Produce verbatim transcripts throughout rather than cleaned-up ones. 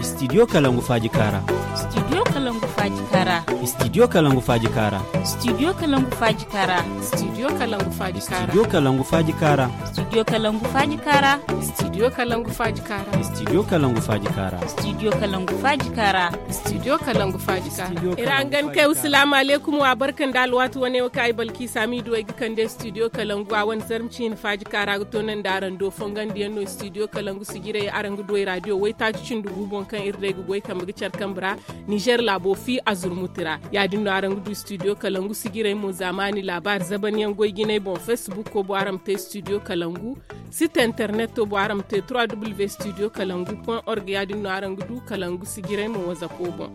Studio kalangu faaji kaara. Studio kalangu faaji kaara. Studio kalangu faaji kaara. Studio kalangu faaji kaara. Studio kalangu faaji kaara. Studio kalangu faaji kaara. Studio kalangu faaji kaara. Studio kalangu faaji kaara. Studio kalangu faaji kaara. Studio kalangu faaji kaara. Studio kalangu faaji kaara. Ira hangan kay wa salaamu aleykum wa barka nda alwaati wane wo kaŋ ay balki saamiidu ay ga kande studio kalangu a wane zarma ciina faaji kaara ga toonandi araŋ do fongandiyaŋ no studio kalangu sijirey araŋ ga du ay raadiyo waytaaci cindi gu boŋ kaŋ iri day ga goy kambe ga care kambe ra. Nizer laabo fi a zurmuti ra ya- din no araŋ ga du studio kalangu sijirey mo zaamaani laabaari zabanyaŋ goy jinay boŋ facebook ko bo araŋ ma te studio kalangu. Site internet to bo araŋ ma te trois w studio kalangu point org ya- din no araŋ ga du kalangu sijirey mo wazapo boŋ.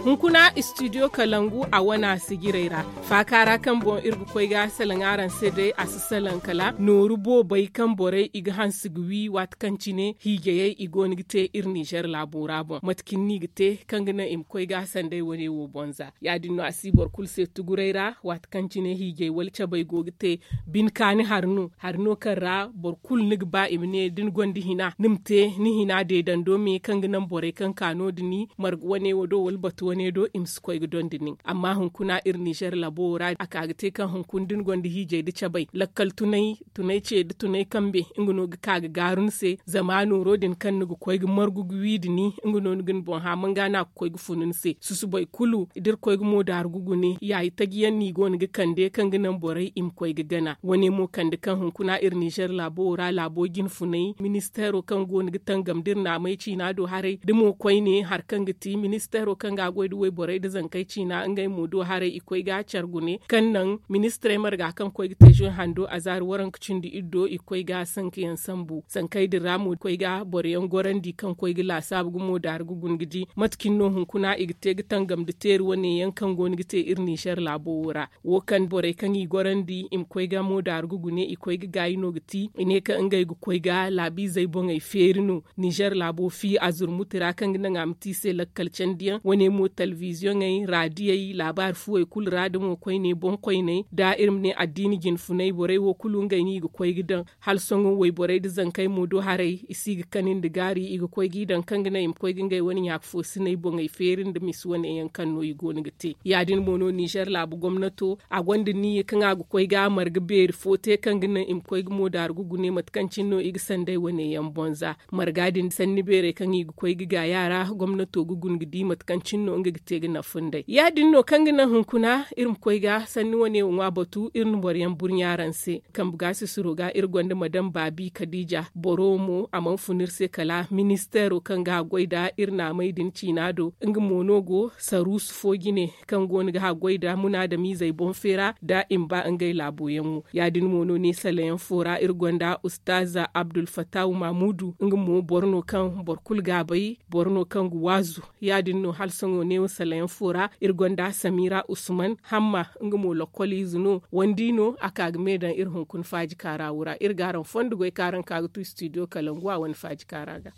Hunkuna studio kalangu a wana sijirey ra faaka ra kaŋ boŋ iri ga koy ga salaŋ araŋ se day a si salaŋ kala nooru boobey kaŋ borey i ga hanse ga wi waati kaŋ cine hiijayey i go no ga te iri nizer laabo ra boŋ mate cine no i ga te kaŋ ga naŋ i ma koy ga sanday wane wo boŋ za ya- din no a si boro kulu se tuguray ra waati kaŋ cine hiijay wala cabay go ga te. Bine kaani hari no hari no kaŋ ra boro kulu ni ga ba i ma ne da ni gonda hina ni ma te ni hina deedando me kaŋ ga naŋ borey kaŋ ka no- din marga wane wo do wala batu wane do i ma si koy ga dondi nin amma hunkuna iri nizer labo wo ra a ka ga te kaŋ hunkuna da ni gonda hiijay nda cabay lakkal tunay tunay ce nda tunay kambe nga no ga ka ga gaaru ni se zama nooro din kaŋ ni ga koy ga margu ga wi nda ni nga no ni ga ni boŋ haaman ga no a ga koy ga funu ni se susubay kulu da iri koy ga moodaaru ga gune yaayi taji yaŋ no i go no ga kande kaŋ ga naŋ borey i ma koy ga gana wane mo kande kaŋ hunkuna iri nizer laabo wo ra laabo jinfunay ministeero kaŋ go no ga tangam da iri naamay ciina do haray da mo koyne hari kaŋ ga ti ministeero kaŋ ga a goy nda wayborey nda zankey ciina ngey mo do haray i koy ga care gune kaŋ naŋ ministirey marga kaŋ koy ga te zoy hando azaari waranka cindi iri do i ga koy ga sankayaŋ sambu sankey din ra mo koy ga boro yaŋ gorandi kaŋ koy ga laasaabu ga moodaaru ga guna ga di mate cine no hunkuna i ga te ga tangam nda teeri wane yaŋ kaŋ go no ga te iri nizer laabo wo ra wo kaŋ borey kaŋ i gorandi i ma koy ga moodaaru ga gune i koy ga gaayi no ga ti i ne kaŋ ngey ga koy ga laabiizey boŋey feeri no. Nizer laabo fi a zurmuti ra kaŋ ga naŋ a ma te i se lakkal candiyaŋ wane mo telebiziyoŋey raadiyey laabaari fuwey kulu ra da mo koyne boŋ koyney da iri ma ne addiini jinfunay borey wo kulu ngey no i ga koy ga daŋ hala sohõ wayborey nda zankey mo do haray i si ga kani nda gaari i ga koy ga i daŋ kaŋ ga naŋ i ma koy ga ngey wane ɲaaka foosiney boŋey feeri nda misi wane yaŋ kaŋ no i go no ga te ya- din mo no nizer laabu gomnato a gonda niiya kaŋ a ga koy ga marga beeri fo te kaŋ ga naŋ i ma koy ga moodaaru ga gune mate kaŋ cine no i ga sanday wane yaŋ boŋ za marga din sanni beerey kaŋ i ga koy ga gaaya ra gomnato ga guna ga di mate kaŋ cine no nga ga te ga nafa nd'ey ya- din no kaŋ ga naŋ hunkuna iri ma koy ga sanni wane wo ŋwa batu iri na boro yaŋ burɲa araŋ se. Kambe ga sisiro ga iri gonda madam baabi kadiija boro mo a mana fun iri se kala ministeero kaŋ ga haggoy nda iri naamey din ciina do nga mo no go saruusu fo jine kaŋ go no ga haggoy nda munaadamiizey boŋ feera nda i ma ba ngey laabo yaŋo ya- din mo no ne salayaŋ fo ra iri gonda ustaaza abdulfattahu mamuudu nga mo boro no kaŋ boro kulu ga a bay boro no kaŋ ga waazu ya- din no hala sohõ neewo salayaŋ fo ra iri gonda samira usman hamma nga mo lokkol ize no wandi no a ka ga me daŋ iri hunkuna faaji kaara wo ra iri ga araŋ fondo goy kaŋ araŋ ka ga tu studio kalangu a wane faaji kaara ga.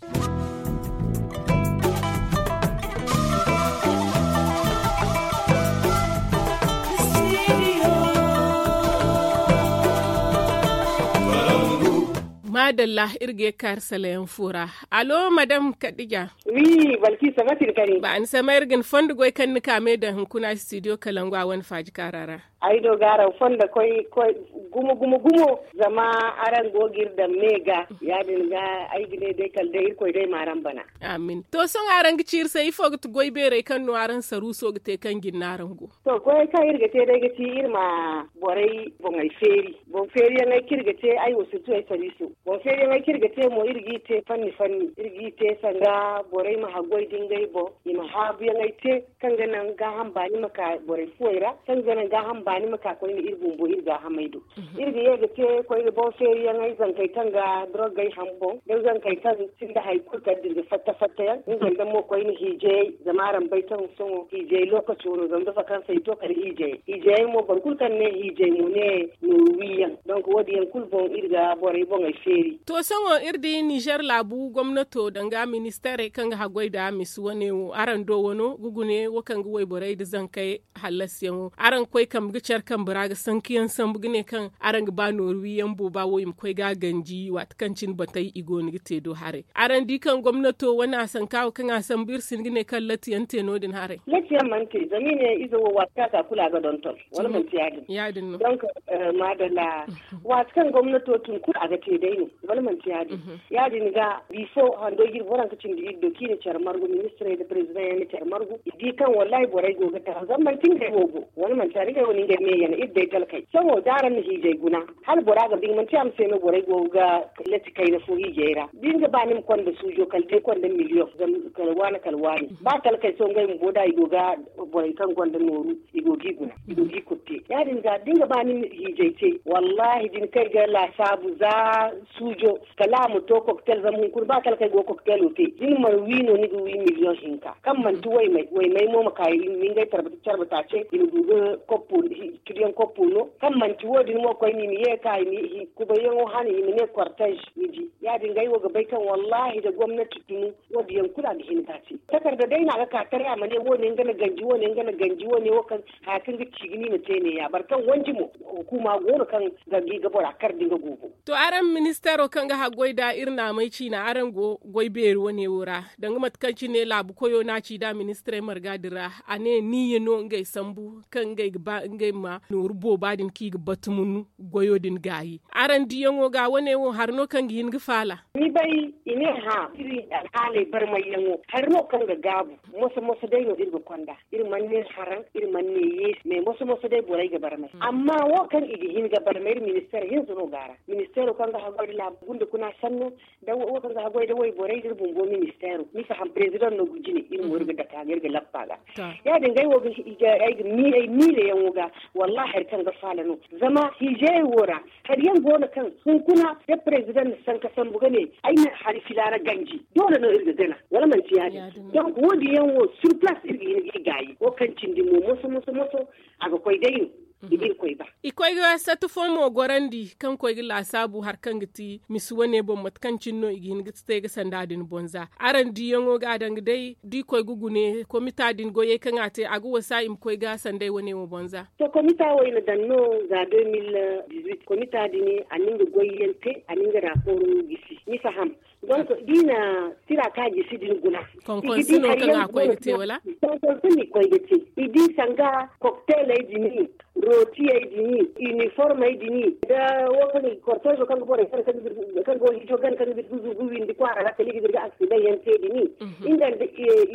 Maadalla iri ga ye kaari salayaŋ fo ra. Allo madam kadija? Wi balkisa mate ni kani ba ni samay iri ga ni fondo goy kaŋ ni ka me daŋ hunkuna studio kalangu a wane faaji kaara ra. Ay do ga araŋ fondo koy gumo gumo gumo zama araŋ go ga iri daŋ me ga ya- din ga ay ga ne day kala day irkoy day ma araŋ bana. Amin to sohõ araŋ ga ci iri se ifo ga ti goy beerey kaŋ no araŋ saruuso ga te kaŋ jinne araŋ go? To goyey kaŋ iri ga te day ga ti iri ma borey boŋey feeri boŋ feeriyaŋey kaŋ iri ga te ay wo sirtu ay sariiso boŋ feeriyaŋey kaŋ iri ga te mo iri g'i te fanni fanni iri g'i te sanda borey ma haggoy da ngey boŋ i ma haabuyaŋey te kaŋ ga naŋ gaaham baani ma ka borey fuwey ra kaŋ ga naŋ gaaham baani ma ka koyne iri bumbo iri gaahamey do. Iri ga ye ga te koyne boŋ feeriyaŋey zankey kaŋ ga dorogey ham boŋ da zankey kaŋ sinda hari kulu kala da iri ga fatta fatta yaŋ nga nda mo koyne hiijayey zama araŋ bay kaŋ sohõ hiijay lokaco no zama da vakansey to kala hiijayey hiijayey mo boro kulu kaŋ ne hiijay mo ne nooru wiyaŋ. Donk wo- din yaŋ kulu boŋ iri ga borey boŋey feeri. To sohõ iri di nizer laabu gomnato danga ministeerey kaŋ ga haggoy nda misi wane wo araŋ do wano ga gune wo kaŋ ga wayborey nda zankey hallasiyaŋo araŋ ga koy kambe. care kambe ra ga sanku yaŋ sambu ga ne kaŋ araŋ ga ba nooru wi yaŋ booba wo i ma koy ga a ganji waati kaŋ cine batey i go no ga te do haray. Araŋ di kaŋ gomnato wane a sanka wo kaŋ a sambu iri si hin ga ne kaŋ latti yaŋ te no- din haray? Latti yaŋ mana te zama i ne ize wo waati kaŋ a ka kulu a ga donton. Wala manti ya- din? Donk, maadalla. Waati kaŋ gomnato tun kulu a ga te day no. Wala manti ya- din? Ya- din ga bifo hando ga iri boro haŋ ga cindi iri do kaŋ i na care margu ministirey nda perezidaŋ yaŋ na care margu i di kaŋ wallahi borey go ga tara zama manti ngey wo go. Wala manti ya- din ngey wo no ngey meeyan iri day talkey sohõ da araŋ na hiijay guna, hala bora ga ba nga manti a ma se no borey go ga latti kayna fo hiijay ra da ni ga ba ni ma konda suujo kala day konda miliyoŋ. Kala waani kala waani ba talkey sohõ ngey bumbo da i go ga borey kaŋ gonda nooru i go ga i guna, i go ga i kulu te. Ya- din ga da ni ga ba ni ma hiijay te wallahi da ni kay ga laasaabu za suujo kala a ma to koktel zama hunkuna ba kala kaŋ ay go ga koktel wo te da ni mana wi no ni ga wi miliyoŋ hinka kaŋ manti waymay waymay mo ma ka i ma ngey carbe taace i ma du ga koppo. Ciriyaŋ koppo no kaŋ manti wo- din mo koyne i ma ye ga ka i ma kubayyaŋo hana i ma ne kortez ni di. Ya- din ga ay wo ga bay kaŋ wallahi da gomnati tunu wo- din yaŋ kulu a ga hin ga a te takarda day no a ga ka taray a ma ne wo- ne nga na ganji wo- ne nga na ganji wo- ne wo kaŋ haya kaŋ ga ci ga ni ma te ne- ya boro kaŋ wanji mo hukuuma go no kaŋ ga gi ga bora kar da nga go boŋ. To araŋ ministeero kaŋ ga haggoy nd'a iri naamey ciina araŋ go goy beeri wane wo ra danga mate kaŋ cine laabu koyo no a ci nd'a ministirey marga din ra a ne niyya no ngey sambu kaŋ ngey ga ba ngey ma nooru booba din kaŋ i ga batu munu goyo din gaayi. Araŋ diyaŋo ga wane wo hari no kaŋ ga hin ga faala? Ni bay i ne hã iri alhaaley barmayyaŋo hari no kaŋ ga gaabu. Moso moso day no iri ga konda. Iri mana ne haraŋ iri mana ne yeesi mais moso moso day borey ga barmay amma wo kaŋ i ga hin ga barmay iri ministeer hinza no go a ra. Ministeero kaŋ ga haggoy nda laabu gunda kuna sanno nda wo kaŋ ga haggoy nda wayborey nda iri bumbo ministeero ni faham perezidaŋ no ga jine iri mo iri ga dake a ga iri ga lappa ga. Ya- din ga ay wo ga ay ga miila yaŋo ga. Wallahi hari kaŋ ga faala no zama hiijayey wo ra hari yaŋ go no kaŋ hunkuna da perezidaŋ na sanka sambu ga ne ay na hari filaana ganji doole no iri ga gana wala manti ya- din? Donk wo- din yaŋ wo sur palaas iri ga hin ga i gaayi wo kaŋ cindi mo moso moso moso a ga koy day no. I ga iri koy ba. I koy ga sati fo mo gorandi kaŋ koy ga laasaabu hari kaŋ ga ti misi wane boŋ mate kaŋ cine no i ga hin ga te ga sanda din boŋ za. Araŋ diyaŋo ga a danga day da i koy ga gune komita din goyey kaŋ a te a ga wasa i ma koy ga sanday wane wo boŋ za? To komita wo i na daŋ no za deux mille dix huit komita din a na nga goyyaŋ te a na nga raapooro gisi ni faham. Donk da i na tira kaŋ a gisi din guna. Konkonsi no kaŋ a koy ga te wala? Konkonsi no i koy ga te. I di sanga kokteeley din, rootiyey din, iniformey din, nda wo kaŋ i ga korteezo kaŋ ga borey fere kaŋ ga go hiijo gana kaŋ ga zirgu zirgu windi kwaara ra kala i ga zirga aksidaŋ yaŋ te din. Nga nda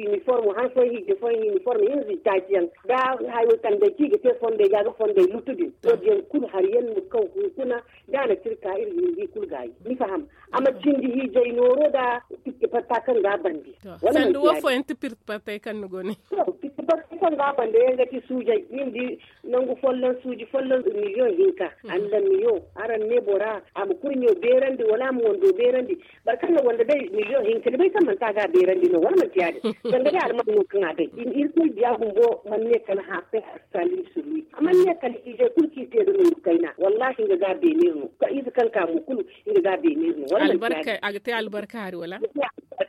iniformo han fooyaŋ hiijay fooyaŋ iniformo hinza itaaci yaŋ nda hayo kandey kaŋ i ga te fondey ga ga fondey lutu din wo- din yaŋ kulu hari yaŋ no kaŋ hunkuna da a na tira ka iri ga hin ga i kulu gaayi ni faham. A ma cindi hiijay nooro nda pitti fatta kaŋ ga a bandi. Sanda wo fooyaŋ ti pitti fattay kaŋ ni go ne? Pitti fattay kaŋ ga a bandi yaŋ ga ti suujay ni ma di nangu folloŋ suuji folloŋ miliyoŋ hinka. Allamiyo araŋ ne bora a ma kurɲo beerandi wala a ma wando beerandi? Boro kaŋ na wanda day miliyoŋ hinka ni bay kaŋ manti a ga a beerandi no wala manti ya- din? Sanda day alman no kaŋ a day. Irkoy diya bumbo mana ne kala hã se a si saalim surwi a mana ne kala hiijay kulu kaŋ i te da nooru kayna wallahi nga ga a beene iri no. Ize kaŋ ka mo kulu nga ga a beene iri no wala manti ya- din? A ga te albarka hari wala?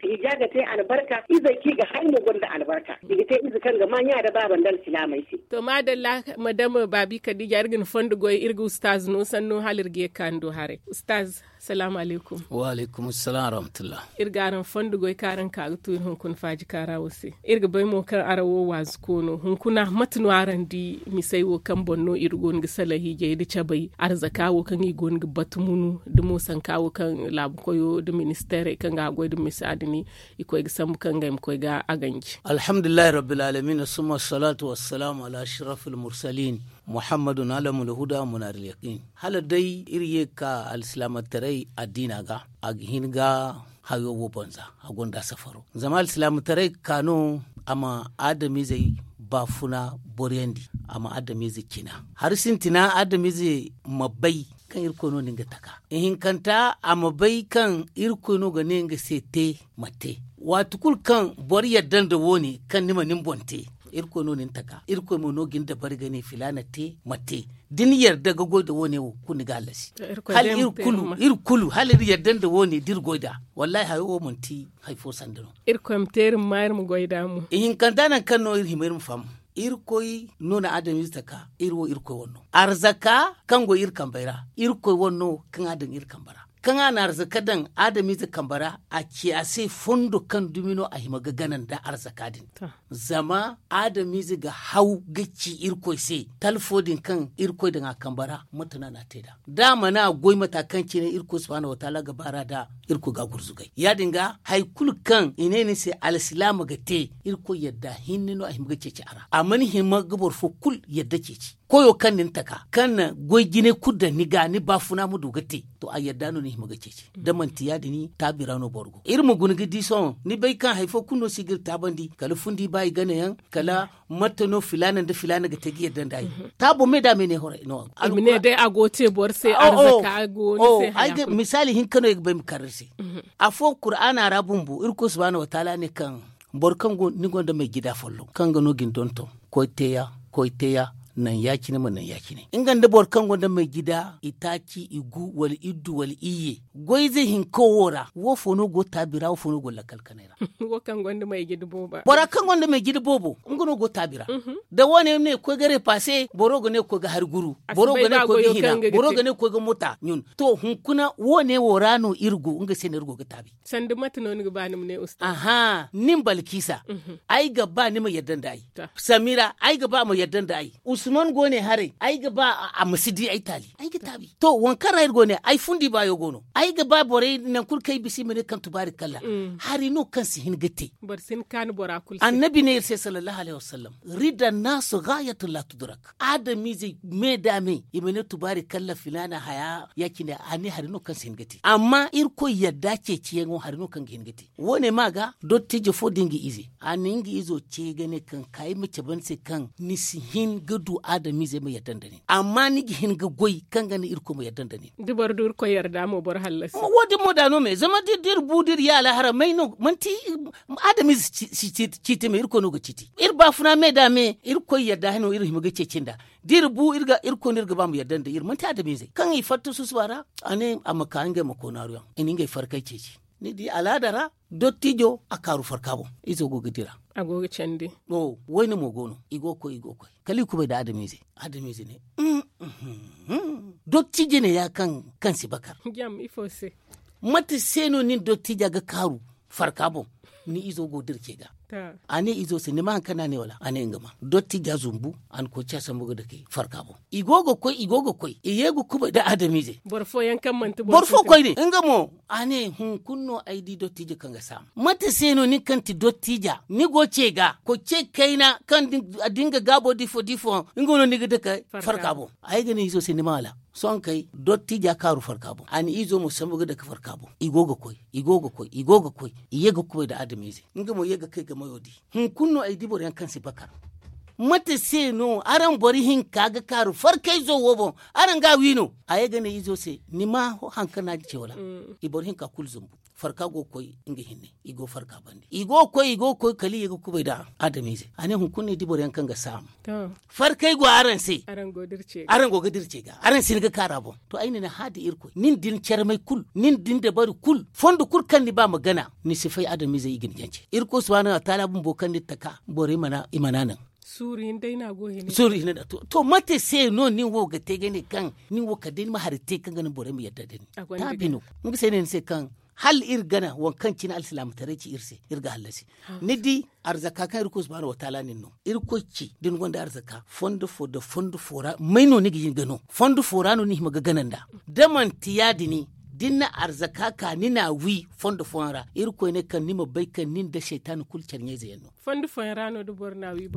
Hija ga te albarka izey kaŋ i ga hay mo gonda albarka i ga te ize kaŋ ga ma ɲa nda baaba nda alsilaamey se. To maadalla, madame baabi kadiija iri ga ni fondo goy iri ga ustaaz no sanno hala iri ga ye ga ka ni do haray. Ustaaz, salaamu alaykum. Wa alaykum assalaam wa rahmatullah. Iri ga araŋ fondo goy kaŋ araŋ ka ga tu iri hunkuna faaji kaara wo se. Iri ga bay mo kaŋ araŋ wo waazu koono hunkuna mate no araŋ di misey wo kaŋ boŋ no iri go no ga salaŋ hiijay nda cabay arzaka wo kaŋ i go no ga batu munu nda mo sanka wo kaŋ laabu koyo nda ministeerey kaŋ ga a goy nda misa din i koy ga sambu kaŋ ngey ma koy ga a ganji. Alhamdulillahi rabbil alamin summa assalaatu wassalaamu ala ashrafil mursalin muhammadun alamul huda munaaril yaqiin. Hala day iri ye ga ka alsilaamataray addiina ga a ga hin ga hayo wo boŋ za a gonda safaro zama alsilaamataray ga ka no a ma adamizey baafuna boriyandi a ma adamizey cina hari sintina adamizey ma bay kaŋ irkoy no no nga taka ihinkanta a ma bay kaŋ irkoy no ga ne nga se te ma te. Waati kulu kaŋ boro yadda nda wo- ne kaŋ ni ma ni boŋ te irkoy no ni na taka irkoy mo no ga ni dabari ga ne filaana te ma te. Da ni yarda ga goy nda wo- ne wo kulu ni ga hallasi. Hala iri kulu hala iri yarda nda wo- ne da iri goy nd'a wallahi hayo wo manti hari fo sanda no. Irkoy ma te iri ma ma iri ma goy nd'a mo. Ihinkanta nangu kaŋ no iri hima iri ma faham. Irkoy no na adamize taka. Iri wo irkoy wane no. Arzaka kaŋ go iri kambey ra, irkoy wane no kaŋ a daŋ iri kambe ra. Kaŋ a na arzaka daŋ adamize kambe ra, a ci a se fondo kaŋ dumi no a hima ga gana nda arzaka din. Zama adamize ga haw ga ci irkoy se, talfo din kaŋ irkoy daŋ a kambe ra, mate no a n'a te nd'a? Da a mana goy mata kaŋ cine irkoy subhanahu wataala ga baar'a da, irkoy ga a gurzugay. Ya- din ga hari kulu kaŋ i ne ni se alsilaama ga te, irkoy yadda hinne no a hima ga ceeci a ra. A mana hima ga boro fo kulu yadda ceeci. Koyo kaŋ na ni taka, kaŋ na goy jinay kulu daŋ ni ga, ni baafuna ma du ga te, to a yadda no ni hima ga ceeci. Da manti ya- din, taabi ra no boro go. Iri ma guna ga di sohõ, ni bay kaŋ hari fo kulu no si ga iri taabandi, kala fundi ba i gana yaŋ, kala mate no filaana nda filaana ga te ga yadda nda ay. Taabo me da me ne horay no. Ay ma ne day a go te boro se arzaka go ni se haya kulu. Misaali hinka no ay ga bay ma kar iri se. Afo kuraana ra bumbo irkoy subhanahu wataala ne kaŋ boro kaŋ go ni gonda may jida folloŋ kaŋ ga no ga ni donton, koy teeya, koy teeya, naŋ ya- cine ma naŋ ya- cine. Nga nda boro kaŋ gonda may jida itaaci, igu wala iddu wala iyye, goy ize hinka wo ra, wo fo no go taabi ra, wo fo no go lakkal kanay ra? Wo kaŋ gonda may jida boobo. Bora kaŋ gonda may jida boobo, nga no go taabi ra. Da wo- ne koy ga repaase, boro ga ne koy ga hari guru, boro ga ne koy ga hina, boro ga ne koy ga mota ɲun. To hunkuna wo- ne wo ra no iri go, nga se no iri go ga taabi. Sanda mate no ni ga ba ni ma ne ustaz? Aha, nin balkisa, ay ga ba ni ma yadda nda ay. Samira, ay ga ba a ma yadda nda ay. Usman go ne haray, ay ga ba a ma si di ay taali, ay ga taabi. To waŋ kaŋ ra iri go ne, ay fundi baayo go no. Ay ga ba borey naŋ kulu kaŋ ay bisa i ma ne kaŋ tubaari kalla. Hari no kaŋ si hin ga te. Annabi ne iri se sallallahu alayhi wasallam, rida naasu gaayatun la tudurak. Adamiizey me da me i ma ne tubaari kalla filaana haya, ya- cine a ne hari no kaŋ si hin ga te. Amma irkoy yadda ceeciyaŋo hari no kaŋ ga hin ga te. Wo- ne ma ga dottijo fo da nga ize, a na nga izo ce ga ne kaŋ ka ay ma cabe ni se kaŋ ni si hin ga du adamiizey ma yadda nda nin, amma ni ga hin ga goy kaŋ ga naŋ irkoy ma yadda nda nin. Da boro du irkoy yarda mo boro hallasi. Wo- din mo da no me zama da iri bu da iri ye alahara may no manti adamiize si ciiti me irkoy no ga ciiti iri baafuna me da me irkoy yarda hano iri hima ga ceeci nda. Da iri bu irkoy no iri ga ba ma yadda nda iri manti adamiizey kaŋ i fatta susuba ra. A ne a ma ka ngey ma koonaaru yaŋ i na ngey farkay ceeci. Ni di alaada ra dottijo a kaaru farka boŋ. Izo go ga dira. A go ga candi. Wayne mo go no i go ga koy i go ga koy kala i kubay nda adamiize. Adamiize ne dottijo ne ya kaŋ si bakar. Mate se no nin dottiija ga kaaru farka boŋ? Ni izo go ga dira ce ga. A ne izo se ni ma hari kaŋ no a ne wala a ne nga ma dottiija zumbu. A na koy ca sambu ga dake farka boŋ. I go ga koy i go ga koy i ye ga kubay nda adamiize. Boro fo koy ne nga mo a ne hunkuna no ay di dottiija kaŋ ga saama mate se no nin kaŋ ti dottiija ni go ce ga koy ce kayna kaŋ da nga gaabo da ifo da ifo nga no ni ga dake farka boŋ. Ay ga ne izo se ni ma wala sohõ kay dottiija kaaru farka boŋ a na izo mo sambu ga dake farka boŋ. I go ga koy i go ga koy i go ga koy i ye ga kubay nda adamiize. Nga mo ye ga kay ga mayo di. Hunkuna no ay di boro yaŋ kaŋ si bakar. Mate se no araŋ boro hinka ga kaaru farkayzo wo boŋ? Araŋ ga a wi no a ye ga ne izo se ni ma hari kaŋ no a ga ce wala? I boro hinka kulu zumbu farka go ga koy nga hinne. I go farka bande i go ga koy i go ga koy kala i ye ga kubay nda adamiize. A ne hunkuna no ay di boro yaŋ kaŋ ga saama farkay go araŋ se. Araŋ go ga dira ce ga araŋ si ni ga kaara boŋ. To ay na ni haadi irkoy nin da ni carmay kulu nin da ni dabari kulu fondo kulu kaŋ ni ba ma gana ni si fay adamiizey i ga ni jance. Irkoy subhaanahu wataala bumbo kaŋ ni taka borey mana i mana naŋ. Suuru hinne day no a go hina. To mate se no nin wo ga te ga ne kaŋ nin wo kala day ni ma hari te kaŋ ga naŋ borey ma yadda nda ni. Taabi no. Nga se no ay ne ni se kaŋ hala iri gana waŋ kaŋ cine alsilaamataray ci iri se iri ga hallasi. Ni di arzaka kaŋ irkoy subhaanahu wataala nin no irkoy ci da ni gonda arzaka fondo fo nda fondo fo ra may no ni ga hin ga no fondo fo ra no ni hima ga gana nda? Da manti ya- din da ni na arzaka ka ni n'a wi fondo fooyaŋ ra irkoy ne kaŋ ni ma bay kaŋ nin da saytaana kulu care ɲayze yaŋ no.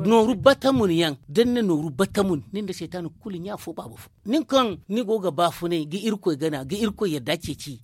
Nooru batamun yaŋ da ni na nooru batamun nin da saytaana kulu ɲa fo baaba fo. Nin kaŋ ni go ga baafunay ga irkoy gana ga irkoy yadda ceeci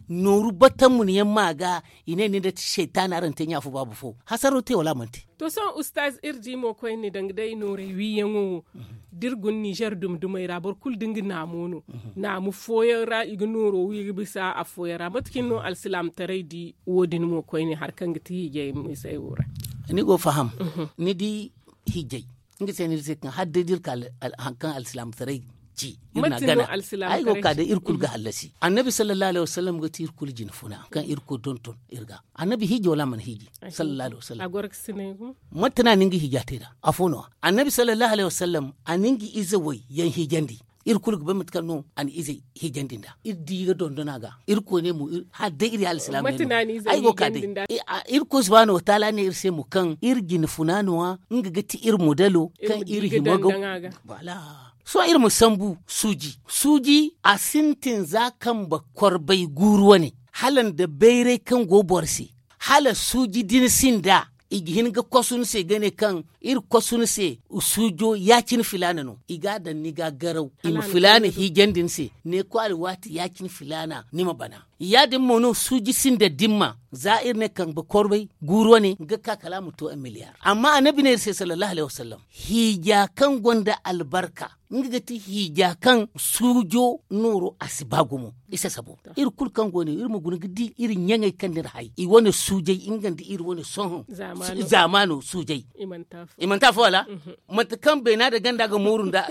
nooru batamun yaŋ ma ga i ne nin da saytaana araŋ te ɲa fo baaba fo hasaro te wala a mana te? To sohõ ustaaz iri di mo koyne danga day noorey wiiyaŋo wo da iri guna ninzeer dumi dumey ra boro kulu da nga naamo no. Naamu fooyaŋ ra i ga nooro wi ga bisa afooyaŋ ra mate cine no alsilaamataray di wo- din mo koyne hari kaŋ ga ti hiijay misey wo ra? Ni go faham. Ni di hiijay nga se no iri se kaŋ hala day da iri ka hari kaŋ alsilaamataray ci. Iri na gana. Ay go ga ka day iri kulu ga hallasi. Annabi sallallahu alaihi wasallam ga ti iri kulu jina funa kaŋ iri kulu donton iri ga. Annabi hiiji wala a mana hiiji? Sallallahu alaihi wasallam. Mate no a na nga hiija te nd'a? Afo no annabi sallallahu alaihi wasallam a na nga ize way yaŋ hiijandi. Iri kulu ga bay mate kaŋ no a na izey hiijandi nd'a. Iri di ga dondon a ga. Iri koy ne mo hala day iri ya alsilaam. Ay go ga ka day. Iri koy subhaanahu wataala ne iri se mo kaŋ iri jina funa no- ya nga ga ti iri modelo kaŋ iri hima ga. Sohõ iri ma sambu suuji suuji a sintin za kambe korbay guuru wane, hala nda bayray kaŋ go boro se, hala suuji din sinda i ga hin ga kosu ni se ga ne kaŋ iri kosu ni se. Suujo ya- cine filaana no i ga a daŋ ni ga garaw i ma filaana hiijandi ni se. Ne kwaari waati ya- cine filaana ni ma bana. Ya- din mo no suuji sinda dimma za iri ne kambe korbay guuru wane ga ka kala a ma to miliyar amma annabi ne iri se sallallahu alaihi wasallam, hiija kaŋ gonda albarka nga ga ti hiija kaŋ suujo nooro a si ba gumo. I sasabo iri kulu kaŋ go ne iri ma guna ga di iri ɲaŋey kaŋ n'iri hay i wane suujey nga nda iri wane sohõ. Zaamaano suujey i manti afo wala? Mate kaŋ beena nda ganda ga mooru nda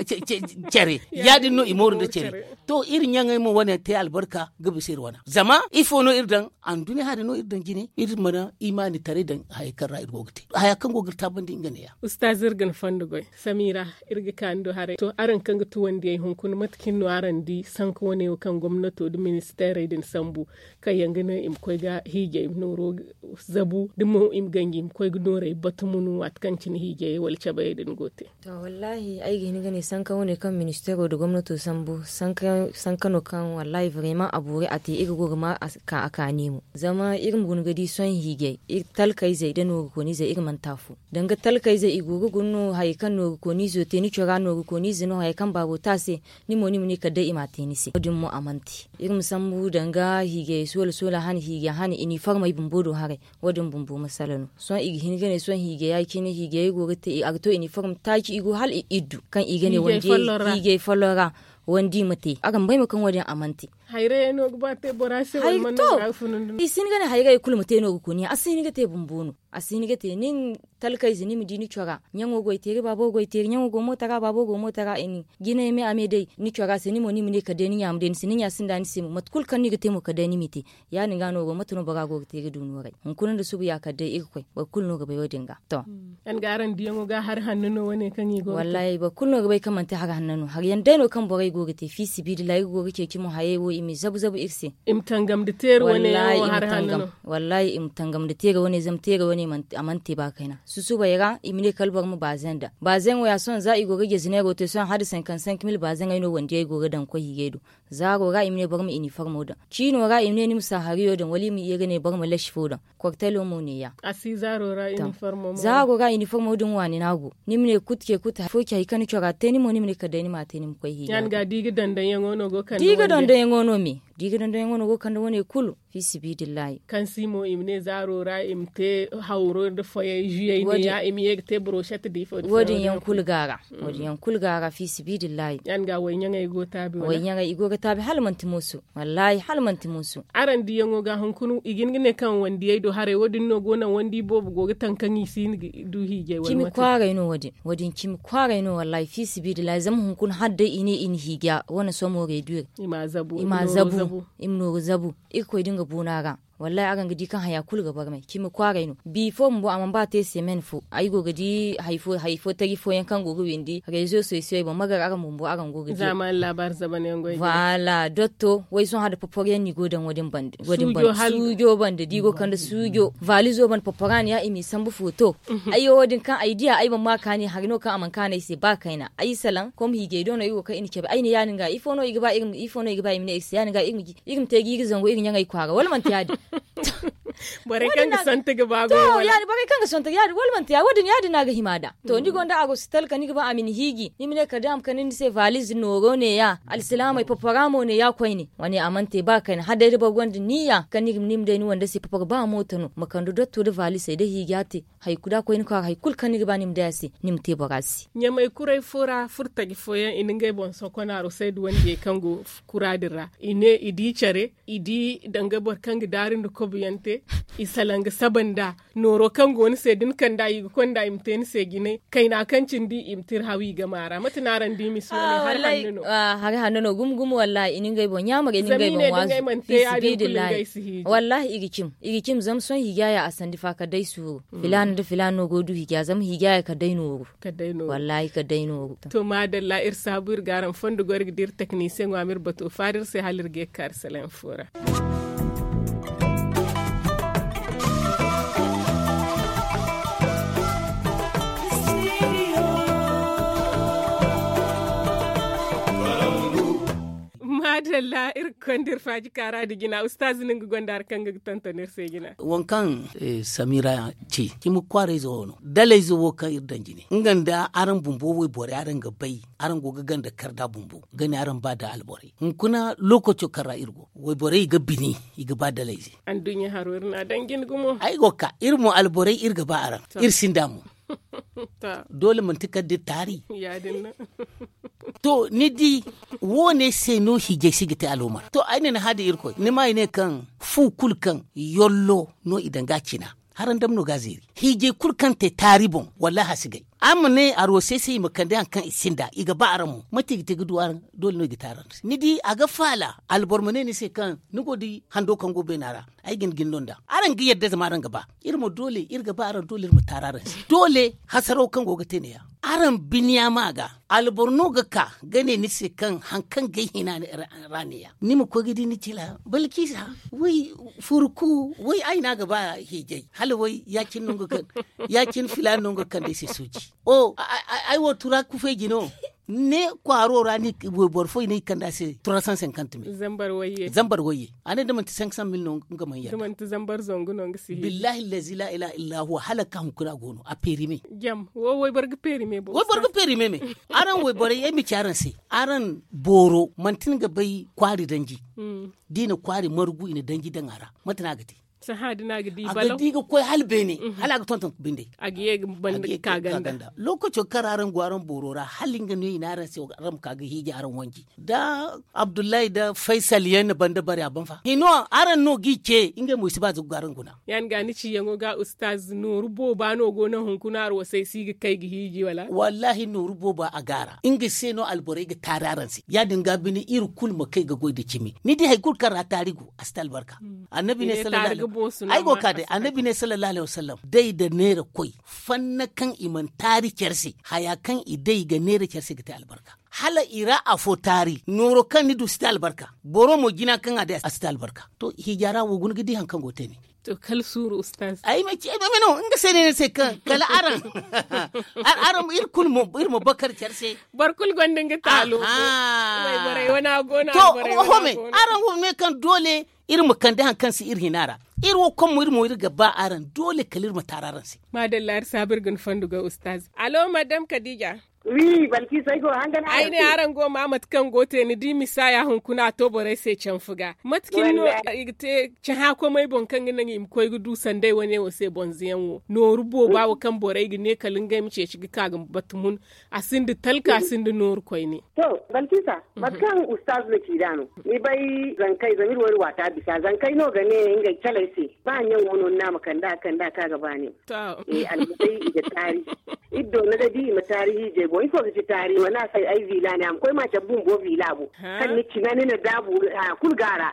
care ya- din no i mooru nda care. To iri ɲaŋey mo wane te albarka ga bisa iri wana zama ifo no iri daŋ? Anduɲɲa hari no iri daŋ jine iri mana imaani taray daŋ haya kaŋ ra iri go ga te haya kaŋ go ga iri taabandi nga ne- ya. Ustaaz iri ga ni fondo goy. Samira, iri ga ka ni do haray to araŋ kaŋ ga tuwandiyey hunkuna mate cine no araŋ di sanka wane wo kaŋ gomnato nda ministeerey din sambu kaŋ yaŋ ga ne i ma koy ga hiijay nooro zabu da mo i ma ganji i ma koy ga noorey batu ma no waati kaŋ cine hiijayey wala cabayey din go te? To wallaahi ay ga hin ga ne sanka wane kaŋ ministeero nda gomnato sambu sanka no kaŋ wallaahi vraiment a boori a te iri go ga ma ka a kaani mo zama iri ma guna ga di sohõ hiijay talkayzey nda nooru kooniizey iri manti afo. Danga talkayze i go ga guna no hari kaŋ nooru kooniizo te ni cora nooru kooniize no hari kaŋ baabo te a se. Ni mo ni ma ne kala day i m'a te ni se wo- din mo a mana te. Iri ma sambu danga hiigay soola soola hane hiigay hane iniformey bumbo do haray. Wo- din bumbo masala no sohõ i ga hin ga ne sohõ hiigay ya- cine hiigay go ga te a ga to iniform taaci i go hala iddu kaŋ i ga ne hiigay folloŋ ra. Wandi ma te araŋ bay mo kaŋ wo- din a mana te. Hayray no ga ba te bora se wala mana no ga funu nda no i si hin ga ne hayray kulu ma te nooru kooniiya a si hin ga te bumbo no. A si hin ga te nin talkayze ni ma di ni cora ɲaŋo goy teeri baabo goy teeri ɲaŋo go mooto ra baabo go mooto ra i nin jinay me a me day ni cora se ni mo ni ma ne kala day ni ɲa ma day ni se ni ɲa sinda ni se mo mate kulu kaŋ no i ga te mo kala day ni m'i te. Ya- din ga no go mate no bora go ga te ga du nooray hunkuna nda subu ya kala day irkoy boro kulu no ga bay wo- din ga. To. Yaŋ ga araŋ diyaŋo ga hari hanno no wane kaŋ i go ga te wallaahi boro kulu no ga bay kaŋ manti hari hanno no hari yaŋ day no kaŋ borey go ga te fiisabilillahi iri go ga ceeci mo hayey wo i ma i zabu zabu iri se. I ma tangam nda teeri wane yaŋo hari hanno no. Wallaahi i ma tangam nda teere wane zama teere wane a mana te ba kayna susubay ra i ma ne kala boro ma baazeŋ da baazeŋo ya sohõ za i go ga jazineero te sohõ hala da cinquante cinq mille baazeŋey no wandiyey go ga daŋ ga koy hiijay do. Zaaro ra i ma ne boro ma iniformo daŋ ciino ra i ma ne ni ma saahariyo daŋ wala i ma ye ga ne boro ma lasi fo daŋ. Kortelo mo ne- ya. A si zaaro ra iniformo mo. Zaaro ra iniformo din waani no a go. Ni ma ne kut ce kut hari fo ce hari kaŋ ni cora te ni mo ni ma ne kala day ni m'a te ni ma koy hiijay. Ya- din ga da i ga dandaŋ yaŋo no go ga kande wane kulu. Fiisabilillahi kaŋ si mo i ma ne zaaro ra i ma te hawro nda foyey zuyey ne ya i ma ye ga te boroshet da ifo da foyey wo- din yaŋ kulu ga a ra. Wo- din yaŋ kulu ga a ra fiisabilillahi. Ya- din ga wayɲaŋey go taabi wala wayɲaŋey i go ga taabi hala manti mooso. Wallaahi hala manti mooso. Araŋ diyaŋo ga hunkuna i ga hin ga ne kaŋ wandiyey do haray wo- din no go naŋ wandi boobo go ga taŋ kaŋ i si hin ga du hiijay wala mate. Cimi kwaaray no wo- din wo- din cimi kwaaray no wallaahi fiisabilillahi zama hunkuna hala day i ne i na hiija wane somo reduire. I ma a zabu i ma nooru zabu. Irkoy da nga boona ra. Wallaahi araŋ ga di kaŋ haya kulu ga barmay cimi kwaaray no bi fo bumbo a mana ba te semen fo ay go ga di hari fo tari fooyaŋ kaŋ go ga windi rezo sosiyey boŋ magar araŋ bumbo araŋ go ga di. Zaamaani laabaari zaban yaŋ goy. Voila dotto way sohõ hala da poporyaŋ no i go daŋ wo- din bande suujo bande da i go kande suujo vaalizo bande poporaani ya i m'i sambu footo. Ay wo- din kaŋ ay diya ay boŋ ma kaani hari no kaŋ a mana kaanu ay se ba kayna ay salaŋ kom hiijay do no ay wo kaŋ i na cabe ay ne ya- din ga ifo no i ga ba i ma ne ay se ya- din ga iri ma te ga iri zangu iri ɲaŋey kwaara wala manti ya- din? Borey kaŋ ga sante ga ba go. Borey kaŋ ga sante ga ya- din wala manti ya- din ya- din no a ga hima nd'a. To ni gonda a go si talka ni ga ba a ma ni hiiji ni ma ne kala day a ma kande ni se vaaliz nooro ne- ya alsilaamey papara mo ne- ya koyne wane a mana te ba kayna hala day da boro gonda niiya kaŋ ni ga ni ma day ni wande se papara ba mooto no ma kande dotto nda vaalisey nda hiija te. Hari kulu da a koy ni kwaara hari kulu kaŋ ni ga ba ni ma day a se ni ma te bora se. Ɲamey kuray fo ra furtaji fooyaŋ i na ngey boŋ sokonaaro sayda wandiyey kaŋ go kura din ra i ne i di care i di danga boro kaŋ ga daari nda kobuyaŋ te. I salaŋ ga saba nd'a nooro kaŋ go ni se da ni kand'a i ga konda i ma te ni se jinay kayna kaŋ cindi i ma tira haw i gama ra mate no araŋ di misa wane? Hari hanno no. Hari hanno no gumo gumo wallahi i na ngey boŋ ɲaamar i na ngey boŋ waazu. Fi sibidillahi. Wallahi i ga cim i ga cim zama sohõ hiijaya a sandi fa kala day suuru. Filaana nda filaana no go ga du hiija zama hiijaya kala day nooru. Wallahi kala day nooru. To maadalla iri saabu iri ga araŋ fondo goy iri ga dira teknisiyeŋo a ma iri bato faari iri se hala iri ga ye ga ka iri salaŋ fo ra. Maadalla iri ga konda iri faaji kaara nda jina ustaazu no nga gonda hari kaŋ nga ga tonton iri se jina. Waŋ kaŋ samira ci cimi kwaarayze wo no dalayze wo kaŋ iri daŋ jine nga nda araŋ bumbo wayborey araŋ ga bay araŋ go ga ganda kar nd'a bumbo ga ne araŋ ba da alborey hunkuna lookaco kaŋ ra iri go wayborey i ga bini i ga ba dalayze. Anduɲɲa haro iri n'a daŋ jine gumo. Ay go ga ka iri mo alborey iri ga ba araŋ iri sinda mo. Doole manti kala da iri taari. To ni di woone se no hiijay si ga te alhumar to ay ne ni hã da irkoy ni ma i ne kaŋ fu kulu kaŋ yollo no i daŋ ga a cina. Haraŋ dam no ga a zeeri hiijay kulu kaŋ te taari boŋ wallaahi a si gay. Araŋ ma ne a roose se i ma kande hari kaŋ i sinda i ga ba araŋ mo mate i ga te ga du araŋ? Doole no i ga te araŋ se ni di a ga faala alboro ma ne ni se kaŋ ni go ga di hando kaŋ go beena ra. Ay ga ni gin no nd'a araŋ ga yadda zama araŋ ga ba iri ma doole iri ga ba araŋ doole iri ma taari araŋ se doole hasaraw kaŋ go ga te ne- ya. Araŋ biniya ma ga alboro no ga ka ga ne ni se kaŋ hari kaŋ ga ay hina ra ne- ya ni ma koy ga di ni cila balkisa way furku way ay no a ga ba hiijay hala way ya- cine filaana no nga ga kande ay se sooji. Ay wo tura kufay jino ne kwaaro ra ni wayboro fo i ne i kande a se trois cent cinquante mille. Zambar wayye a ne da manti cinq cent mille no nga mana yadda. Billahi allazi la ilaha illa huwa hala ga ka hunkuna a go no a peerime. Wayboro ga peerime me araŋ wayborey ay ma ci araŋ se araŋ booro manti ni ga bay kwaari danji da i na kwaari margu i na danji daŋ a ra mate no a ga te? A ga di ga koy hala beene hala a ga tonton binde. A ga ye ga banda ga ka ganda lookaco kaŋ ra araŋ go araŋ booro ra hala nga no i ne araŋ se araŋ ma ka ga hiiji araŋ wanji da abdullahi da faysal yaŋ na banda bare a ban fa hino araŋ no g'i ce ngey mo i si ba za ga go araŋ guna. Ya- din ga ni ciyaŋo ga ustaz nooru booba no go naŋ hunkuna arwasay si ga kay ga hiiji wala? Wallaahi nooru booba a go a ra nga se no alborey ga taari araŋ se ya- din ga bine iri kulu ma kay ga goy nda cimi ni di hari kulu kaŋ ra taari go a si te albarka. Annabi ne sallallahu alaihi wasallam day nda neera koy fanna kaŋ i mana taari care se haya kaŋ i day ga neera care se ga te albarka. Hala i ra afo taari nooro kaŋ ni du si te albarka. Boro mo jina kaŋ a day a si te albarka. To hiija ra wo guna ga di hari kaŋ go ga te ne. To kala suuru ustaz ay ma ci ay ma no nga se ne ni se kaŋ kala araŋ araŋ iri kulu mo iri ma bakar care se. Boro kulu gonda nga taalo. Wayborey wane a go no to araŋ wo me kaŋ doole iri ma kande hari kaŋ si iri hina ra. Iri wo kaŋ mo iri mo iri ga ba araŋ doole kala iri ma taari araŋ se. Maadalla iri saabu iri ga ni fondo ga ustaz alo madam kadija. Wi balkisa ay go hangan ay ne araŋ go ma mate kaŋ go te ni di misaya hunkuna a to borey se canfu ga mate kaŋ no i ga te caha komey boŋ kaŋ ga naŋ i ma koy ga du sanday wane wo se bonzo yaŋ wo nooru booba wo kaŋ borey ga ne kala ngey ma ceeci ga ka ga batumun. A sinda talka a sinda nooru koyne. To balkisa mate kaŋ ustaz na ci da no ni bay zankey zama iri wo iri waata bisa zankey no ga ne ngey caley se ba ɲaŋo no ni na a ma kande a kande a kaŋ a ga ba nin. Almusay i ga taari. Iri doona ga di i ma taari hiijay boŋ ifo ga ci taari ma ne a se ay vila ne a ma koy ma cabe bumbo vila boŋ kaŋ ni cina ni na daabu haya kulu ga a ra.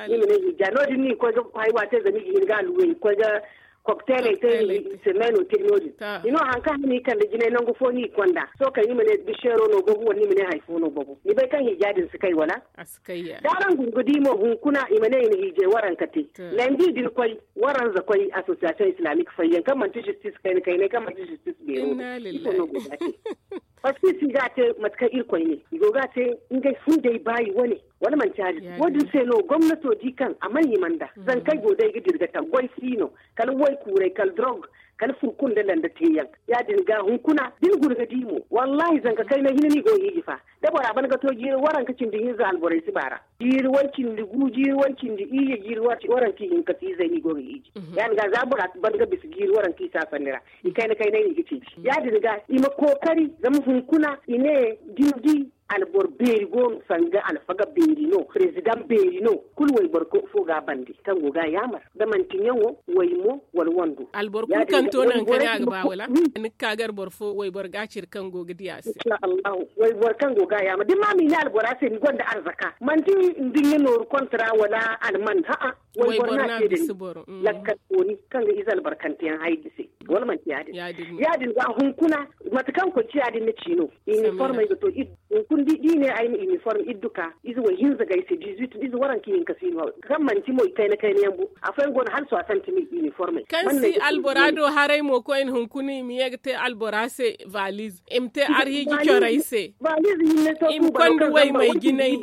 Ni ma ne hiija no- din no i koy ga haywa te zama i ga hin ga alluwey i koy ga kokteeley te i se meeno te no- din. Ni no hari kaŋ hane i kande jinay nangu fo no i konda sohõ kay ni ma ne biseero no babu wala ni ma ne hari fo no babu ni bay kaŋ hiija din si kay wala? Da araŋ guna ga di mo hunkuna i ma ne i na hiijay waranka te. Landi din koy waranza koy association islamique fayyaŋ kaŋ manti justice kayna kaynay kaŋ manti justice beero. Ifo no go ga te? Parce que i si ga te mate kaŋ irkoy ne i go ga te ngey fundey baayi wane wala manti yaadin wo- din se no gomnato di kaŋ a mana hima nda zankey go day ga dira ga taŋ goy si no kala woy kuuray kala drog kala furkun nda landa teeyaŋ. Ya- din ga hunkuna da ni guna ga di mo wallahi zanka kayna hina no i go ga hiiji fa. Da bora ban ga to jiiri waranka cindi hinza alborey si baara jiiri way cindi gu jiiri way cindi iyye jiiri waranka ihinka si izey no i go ga hiiji. Ya- din ga za bora ban ga bisa jiiri waranka i si a sanni ra i kayna kaynay no i ga ceeci ya- din ga i ma kookari zama hunkuna i ne da ni di Alboro beeri go no, sanga alfaga beeri no, president beeri no. Kulu wayboro fo ga a bande kaŋ go ga a yaamar, da manti ɲaŋo, waymo, wala wando. Alboro kulu kaŋ to nangu kaŋ a ga ba wala ni ga ka gar boro fo wayboro ga a cire kaŋ go ga di a se. Wayboro kaŋ go ga a yaamar da ni ma ma i ne albora se ni gonda arzaka, manti nduɲɲa nooru kontra wala alman ha'a. Wayboro no a te da ni. Lakkal kooni kaŋ ga ize albarkanteyaŋ haydi se. Wala manti ya- din? Ya- din ga hunkuna, mate kaŋ koy ci ya- din ni ci no. Iniformey ga to. Hunkuna da i ne ay ma iniform iddu ka ize way hinza ga ay se dizuit ize waranka hinka si no. Kaŋ manti mo i kayna kayna yaŋ bo. Afooyaŋ go no hala soixante mille iniformey kaŋ si albora do haray mo koyne hunkuna i ma ye ga te albora se valiz, i ma te arhiiji corey se. I ma konda way may jinay.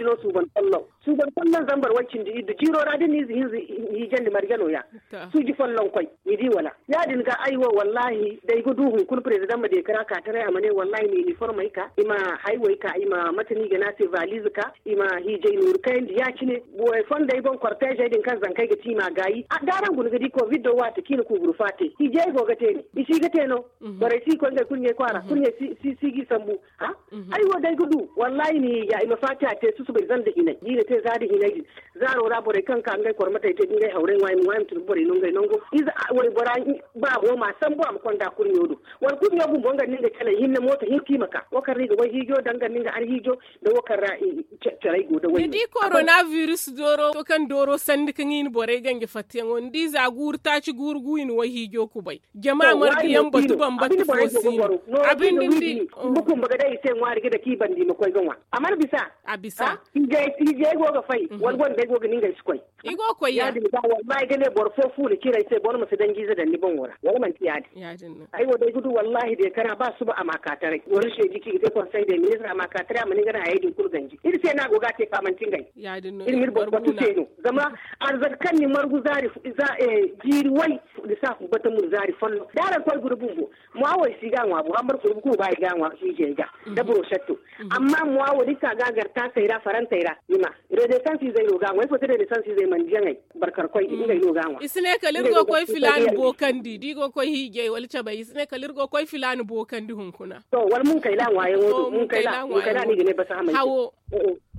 Suuban folloŋ zambar way cindi iddu jiiro ra da ni ize hinza hiijandi marje no- ya. Suuji folloŋ koy ni di wala? Ya- din ga ay wo wallahi da ay ga du hunkuna president ma deekara ka taray a ma ne wallahi ma iniformey ka i ma haywey ka i ma mate no i ga ne a se valize ka i ma hiijay nooru kayandi ya- cine. Borey fondey boŋ korteezey din kaŋ zankey ga ti i ma a gaayi. D'araŋ guna ga di kovid do waati kaŋ i na kuuburu faate hiijay go ga te ne i si ga te no. Borey si ga koy ngey kulu ɲey kwaara kulu ɲey si ga i sambu. Ay wo day ga du wallahi ni ya i ma faatiya te susubay zanda hinay da i na te za da hinay din. Zaaro ra borey kaŋ ka ngey kormatey te da ngey hawray ŋwa i ma ŋwa i ma tun ga borey no ngey nango ize waybora. Baabo ma sambu a ma konda kurɲo do wala kurɲo bumbo nga ni nga calay hinne mooto hinka i ma ka wo kaŋ ra i ga way hiijo danga ni nga arhiijo da wo kaŋ ra. Caray go da way ni di korona virus dooro to kaŋ dooro sandi kaŋ i na borey ganji fattiyaŋo ni di za guuru taaci guuru gu i na way hiijo kubay. Jama marga yaŋ batu bambata fo si no. Abin din di. Bumbo kumba ga day i se ŋwaari ga dake i banda i ma koy ga ŋwa a mana bisa. A bisa. Hijey go ga fay wala gonda day go ga ninga i si koy. I go ga koy ya- din ga wallahi ga ne boro fo fu ni cire ay se boro ma si danji ize daŋ ni boŋo ra wala manti ya- din? Ay wo day ga du wallahi day kara ba suba a ma ka taray wala seedi kaŋ i ga te konsey day ministre a ma ka taray a ma ninga na hayey din kulu ganji iri se no a go ga a te fa manti ngey. Iri ma iri boro batu se no. Zama arzaka kaŋ ni margu zaari jiiri way. Lissafi bata mun zaari folloŋ da araŋ koy guna bumbo. Mwa wo i si ga a ŋwa bo hambar kulu bukuru ba i ga a ŋwa hiijey ga da buroshetto. Amma mwa wo da i ka ga a gar taasey ra farantey ra ni ma redesansi izey no ga a ŋwa ifo se redesansi izey mana diyaŋey. Barkarkoy di ngey no ga a ŋwa. I si ne kala iri go ga koy filaani bookandi da i go ga koy hiijey wala cabay i si ne kala iri go ga koy filaani bookandi hunkuna. To wala munkayla ŋwaayaŋo do munkayla munkayla no i ga ne basa hamay. Hawo.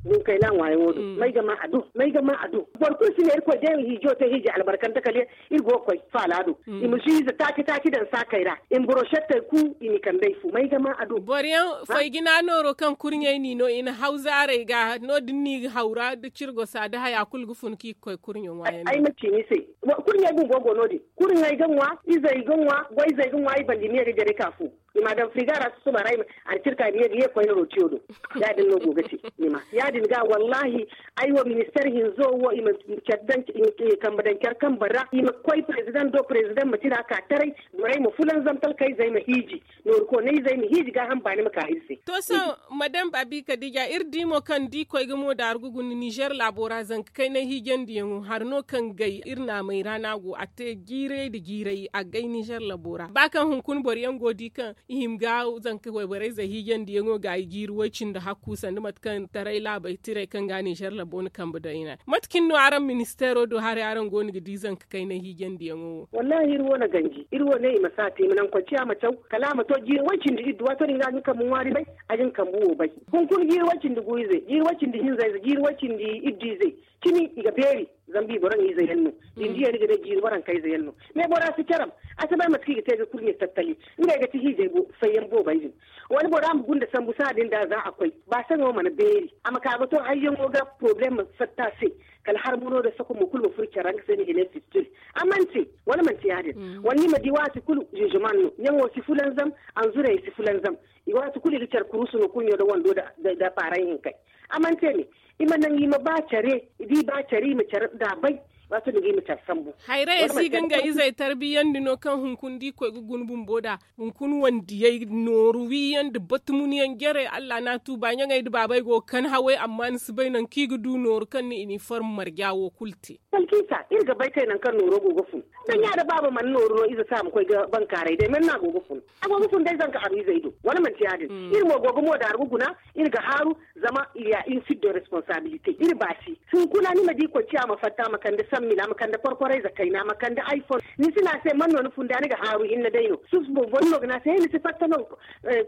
Nin kayna ŋwaayaŋo do may ga ma a do may ga ma a do. Boro kulu si ne irkoy day hiijo te hiiji albarkante kala iri go ga koy faala do. I ma si ize taaci taaci daŋ saakey ra i ma boro settey ku i ma i kand'ey fu may ga ma a do. Boro yaŋ fay jina nooro kaŋ kurɲey n'i no i na haw zaarey ga no- din no i ga haw ra da cirgosa da haya kulu ga fun kaŋ i ga koy kurɲe ŋwaayaŋ. Ay ma ci ni se kurɲey bumbo go no- din. Kurɲey ga ŋwa izey ga ŋwa goyzey ga ŋwa i banda i ma ye ga jare ka fu. I ma a daŋ friga ra susuba ra a na cirka i ma ye ga ye koyne rotiyo do. Ya- din no go ga te ni ma ya- din ga wallahi. Ay wo minister hinzo wo i ma care daŋ i ma kambe daŋ care kambe ra i ma koy president do president ma tira ka taray. Borey ma fulanzam talkayzey ma hiiji nooru koonayzey ma hiiji gaaham baani ma ka iri se. To sohõ madam baabi kadija iri di mo kaŋ da i koy ga mo daaru ga guna nizer laabo ra zanka kaynay hiijandiyaŋo hari no kaŋ gay iri naamey ra no a go a te jiiray nda jiiray a gay nizer labo ra ba kaŋ hunkuna boro yaŋ go ga di kaŋ i hima ga zanka wayborey zey hiijandiyaŋo ga i jiiri way-cindi hakku sanda mate kaŋ taray laabey tirey kaŋ ga nizer labo na kambe daŋ i na. Mate cine no araŋ ministeero do haray araŋ go no ga di zanka kaynay hiijandiyaŋo wo? Wallahi iri wo na ganji iri wo ne i ma si a te i ma naŋ koy ciya ma caw kala a ma to jiiri way-cindi iddu waato din ga a ga ni kambe ŋwaari bay. A ga ni kambe wo bay. Hunkuna jiiri way-cindi gu ize jiiri way-cindi hinza ize jiiri way-cindi iddu ize. Cimi i ga beeri. Zama bi boro ŋiize yaŋ no. Din diya ni ga ne jiiri waranka ize yaŋ no. Mais bora si caram a si bay mate kaŋ i ga te ga kurɲe tattali. Ngey ga ti hiijay fayyaŋ boobay din. Wala bora ma gunda sambu saha din da za a koy ba saŋo mana beeri a ma ka ga to hayyaŋo ga problème ma fatta se. Kala harmano da sako mo kulu ma furo care ra nga se ni ga ne fistil. A mana te wala manti ya- din? Wala ni ma di waati kulu ziziman no ɲaŋo si fulanzam. Anzurey si fulanzam. I waati kulu i ga care kurusu no kurɲo da wando da paaray hinkay. A mana te me i ma naŋ i ma ba care. I di ba care i ma care da a bay. Waati din ga i ma care sambu. Hayray ay si ga nga izey tarbiyandi no kaŋ hunkuna da i koy ga guna bumbo da hunkuna wandiyey nooru wiiyaŋ nda batumuniyaŋ jarey allah no a tuuba ɲaŋey nda baabey go ga kan hawey amma ni si bay nangu kaŋ i ga du nooru kaŋ na iniform marja wo kulu te. Salkiisa iri ga bay kay nangu kaŋ nooro go ga fun. Daŋ ya da baaba mana nooru no ize se a ma koy ga bankaaray day mana no a go ga fun. A go ga fun day zanka haru izey do wala manti ya- din? Iri mo go ga mo daaru ga guna. Iri ga haaru zama il ya une suite de responsabilité iri baasi. Hunkuna ni ma di koy ciya ma fatta ma kande. Amma ni na a ma kande korkorayze kayna a ma kande iphone ni si ne a se man no ni funda ni ga haaru hinne day no susu boro no ga ne a se he ni si fatta no.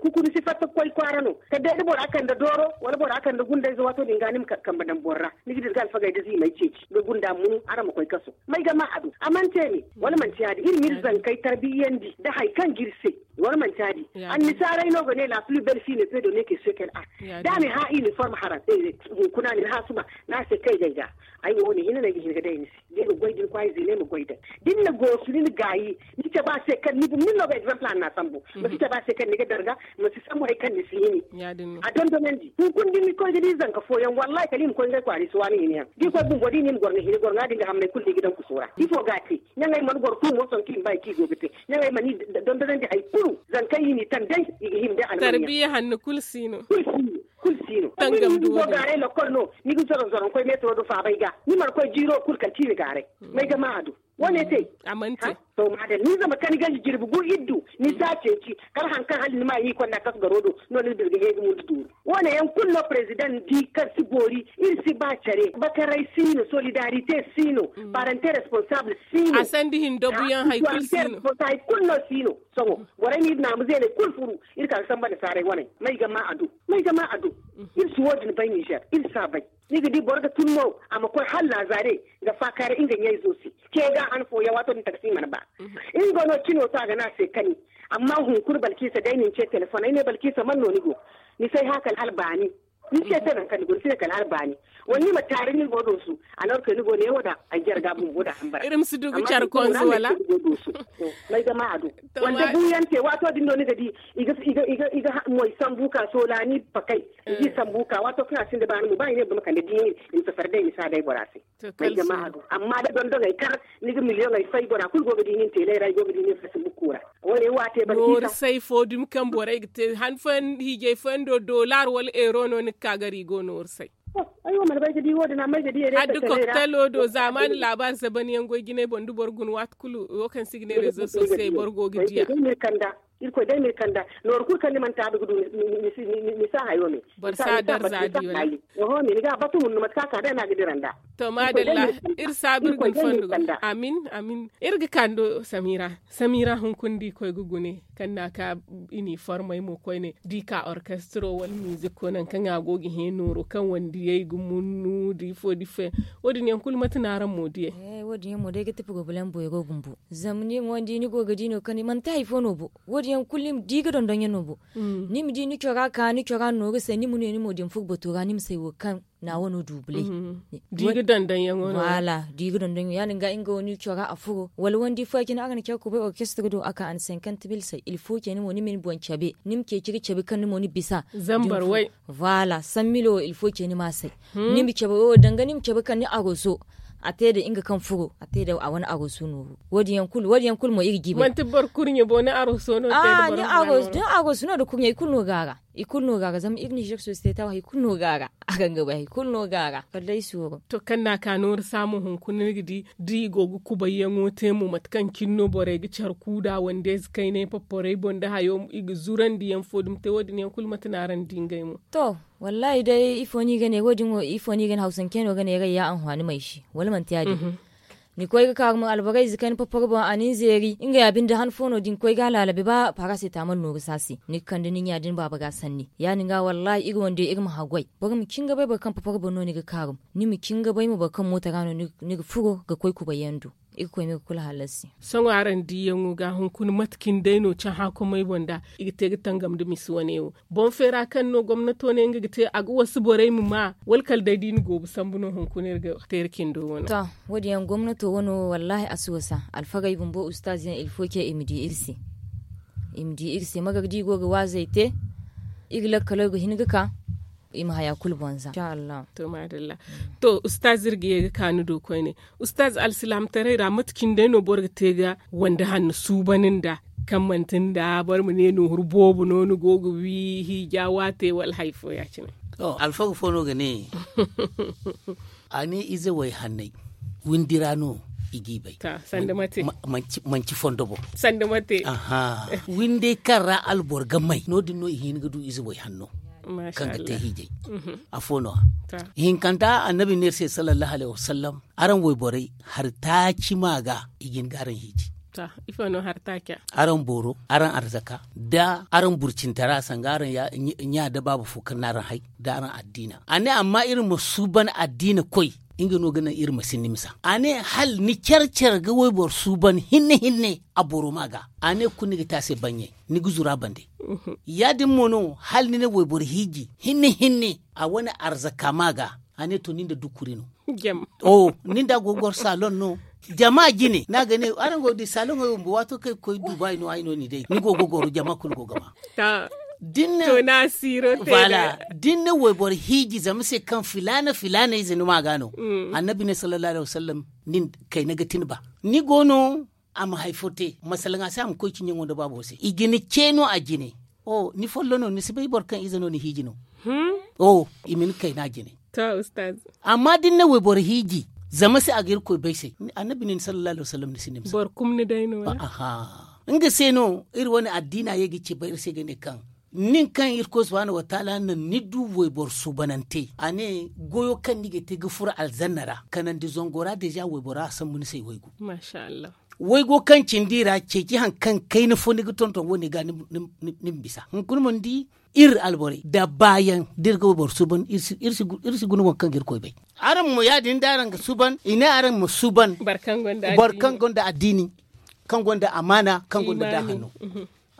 Kuku ni si fatta ga koy kwaara no kala day da bora kande dooro wala bora kande gundayze waato din ga ni ma kambe daŋ boro ra ni ga di ga alfagey da ziimey ceeci ga gunda munu araŋ ma koy kaso. May ga ma a du a mana te ne wala manti ya- din iri ma iri zankey tarbiyandi nda hari kaŋ ga iri se. Wala manti ya- din annisaaray no ga ne la plus belle fille ne peut donner que ce qu'elle a. Da a na ni hã iniform haraŋ hunkuna a na ni hã suba. Ni a se kay ga ay ga ay wo wo- ne hinne no ay ga hin ga day ni se da ay ga goy da ni kwaayi zeeney ma goy day da ni na goosu ni na gaayi. Ni cabe a se kaŋ ni bumni no ga exemple a na a sambu ma si cabe a se kaŋ ni ga darga ma si sambu hari kaŋ ni si hini. A dondonandi hunkuna da ni koy ga di zanka fooyaŋ wallaahi kala i ma koy ngey kwaara i si waani hini yaŋ da i koy bumbo da i ne i ma goro nga hini goro nga din ga hammey kulu da i ga daŋ kuso ra ifo ga a te? Ɲaŋey mana goro kuumo sohõ kaŋ i ma ba i kaŋ i go ga te ɲaŋey mana i dondonandi hari kulu. Zankey i n'i taŋ day i ga hima day almanyaŋ. Tarbiya hanno kulu si no. Kulu si no. Ni ga zoro zoro ni koy meetaro do faabay ga ni mana koy jiiro kulu kala ci ni gaaray. May ga ma a du? Wo- ne te. To maadalla ni zama kani ganji jirbi gu iri du ni si a ceeci kala hari kaŋ hala ni ma a hin konda kasu garo do no ni na birga he ga mundu duuru. Wo- ne yaŋ kulu no president di kaŋ si boori iri si ba care bakaray si no solidarite si no. Parente responsable si no. A sandi hindobu yaŋ hari kulu si no. Hari kulu no si no. Sohõ borey ma iri naamu zeeney kulu furu iri ka ga samba nda saaray waney may ga ma a du? May ga ma a du? Iri si wo- din bay nizer iri si a bay. Ni ga di boro ga tun no a ma koy hala laazare ga faakaaray nga ɲayzo se. Ce ga han fooyaŋ waato din taksi mana ba nga no cino to a ga ne a se kani. Amma hunkuna balkiisa day na ni ce telefoŋ ay ne balkiisa man no ni go? Ni si ay hã kala hala baani. Ni se te nangu kaŋ ni go ni si ne kala hala baani. Wala ni ma taari ni go doosu. Alor ke ni go ne wo da ay jarga bumbo da hambara. Iri ma si du ga care konzo wala? May ga ma a du? Wala da buuyaŋ te waato din no ni ga di i ga moy sambu ka soolaani pakay. I ga i sambu ka waato kaŋ a sinda baani mo ba i ne boro ma kande diini i ma safari day misa day bora se. Ay ga ma a du amma da dondogey kar ni ga miliyoŋey fay bora kulu go ga di nin teeley ra i go ga di nin fasi bukku ra. Wo- ne wo a te boro ciita. Nooru say fo dumi kaŋ borey ga te han fooyaŋ hiijay fooyaŋ do dolar wala euro no ni ga ka gar i go nooru say. Ay wo mana bay ga di wo- din amma ay ga diyey day. Adda koktalo do zaamaani laabaari zaban yaŋ goy jinay boŋ da boro guna waati kulu wo kaŋ se i ga ne rezo sosiyey boro go ga diya. Irkoy day ma iri kanda nooru kulu kaŋ ni mana taabi ga du. Ni si a hayo me. Boro si a darza di wala? Oho me ni ga a batu mun no mate kaŋ a ka day no a ga dira nd'a. To maadalla. Iri saabu iri ga ni fondo ga amin amin. Iri ga kando samira samira hunkuna da i koy ga gune kaŋ no a ka iniformey mo koyne da i ka orkestro wala miziko nangu kaŋ a go ga hẽ nooro kaŋ wandiyey ga munnu da ifo da ifo yaŋ. Wo- din yaŋ kulu mate no araŋ mo diyey? Wo- din yaŋ mo day ga ti porobalem boyro bumbo. Zama ni mo da ni go ga di no kaŋ manti hari fo no bo. Wo- din yaŋ kulu ni ma di ga dondon yaŋ no bo. Ni ma di ni cora ka ni cora nooru say ni ma ne ni mo da ni furo bato ra ni ma say wo kaŋ na wano du bulay. Di ga dondon yaŋo no. Wala di ga dondon yaŋo ya- din ga nga wo ni cora a furo wala wandi fo ya- cine araŋ na care kubay orkestre do a ka a na cinquante mille say ilfo cine mo ni ma ni boŋ cabe ni ma ceeci ga cabe kaŋ ni mo ni bisa. Zambar way. Vwala san milo wo ilfo ce ni ma a say. Ni ma cabe wo danga ni ma cabe kaŋ ni aroso a te da nga kaŋ furo a te da a wane aroso nooru. Wo- din yaŋ kulu mo iri ga i bay. Manti boro kurɲe bo ni aroso no te da boro ni aroso no da kurɲe i kulu no ga a ra. I kulu no ga a ra zama iri nizer sosiyete wo hari kulu no ga a ra. A ga nga bay hari kulu no ga a ra kala day sooro. To kaŋ no a ka nooru saamu hunkuna ni ga di da i go ga kubayyaŋo te mo mate kaŋ cine no borey ga care kuuda wande ize kaynay paparay boŋ da hayo i ga zurandi yaŋ fo dumi te wo- din yaŋ kulu mate no araŋ di ngey mo? To wallaahi day ifo no i ga ne wo- din wo ifo no i ga ne hawsancey no ga ne ray ya anhuwaani may se wala manti ya- din? Ni koy ga kaarum alborey ize kayna papar boŋ a na ni zeeri nga ya binde han fo no da ni koy ga a laalabe ba paara se taamal nooru se a se ni ga kande ni ɲa da ni baaba ga sanni ya- din ga wallaahi iri wande iri ma haggoy. Boro ma cin ga bay boro kaŋ papar boŋ no ni ga kaarum ni ma cin ga bay mo boro kaŋ mooto ra no ni ga furo ga koy kubayyaŋ do. Iri koy no ga kulu halasi. Sohõ araŋ diiyaŋo ga hunkuna mate cine day no cahã komey boŋ da i ga te ga tangam nda misi wane wo boŋ feera kaŋ no gomnato ne nga ga te a ga wasu borey ma ma wala kala day da i na goobu sambu no hunkuna iri ga teeri cindo wano? To wo- din yaŋ gomnato wano wallaahi a si wasa alfagey bumbo ustaaz yaŋ ilfo ce i ma di iri se. I ma di iri se magar da i go ga waazey te iri lakkaley ga hin ga ka i ma haya kulu bonza. To maadalla. To ustaaz iri ga ye ga ka ni do koyne ustaaz alsilaamataray ra mate cine day no boro ga te ga wande hanno suuban nda kaŋ manti nda boro ma ne nooru boobo no ni go ga wi hiija waate wala hari fo ya- cine? Alfaga fo no ga ne a ne ize way hanney windi ra no i g'i bay. Sanda mate? Manci fondo boŋ. Sanda mate? Windey kaŋ ra alboro ga may no- din no i hin ga du ize way hanno. kaŋ ga te hiijay. Afo no-ya hinkanta annabi ne iri se sallallahu alaihi wasallam, araŋ wayborey hari taaci ma ga i ga hin ga araŋ hiiji. Araŋ booro, araŋ arzaka, da araŋ burcintara sanga araŋ ɲa da baaba fo kaŋ na araŋ hay, da araŋ addiina a ne amma iri ma suuban addiina koy. Nga no ga naŋ iri ma sinda misa a ne hala ni care care ga wayboro suuban hinne hinne a boro ma ga. A ne kulu ni ga te a se baɲɲay, ni ga zuru a bande. Ya- din mo no hala ni na wayboro hiiji hinne hinne a wane arzaka ma ga. A ne to ni nda dukuri no. Ni nda a go ga goro saloŋ no. Jama jine no a ga ne araŋ go ga di saloŋey wo bumbo waato kaŋ i ga koy duuba ay no ay no ni day ni go ga goro jama kulu go ga ma. Da ni na wayboro hiiji zama se kaŋ filaana filaana ize ni ma ga no. Annabi ne sallallahu alaihi wasallam, nin kayna ga tin ba ni go no. A ma hari fo te masalaŋ a se a ma koy ciɲaŋo nda baabo se i ga ni ce no a jine. Ni follo no ni si bay boro kaŋ ize no ni hiiji no. I ma ni kayna jine. Amma da ni na wayboro hiiji zama se a ga irkoy bay se. Annabi ne ni sallallahu alaihi wasallam ni si ni ma se. Nga se no iri wane addiina ye ga ci bay iri se ga ne kaŋ nin kaŋ irkoy subhaanahu wataala naŋ ni du wayboro suubanante a ne goyo kaŋ ni ga te ga furo alzanna ra kanandi zango ra deeza waybora a sambu ni se ay waygu. Waygo kaŋ cindi ra ceeci hari kaŋ kayna fo ni ga tonton wo- ne ga ni ma bisa hunkuna ma ni di iri alborey da baayaŋ da iri ga wayboro suuban iri si guna waŋ kaŋ ga irkoy bay. Araŋ mo ya- din da araŋ ga suuban i ne araŋ ma suuban boro kaŋ gonda addiini kaŋ gonda amaana kaŋ gonda daahanno.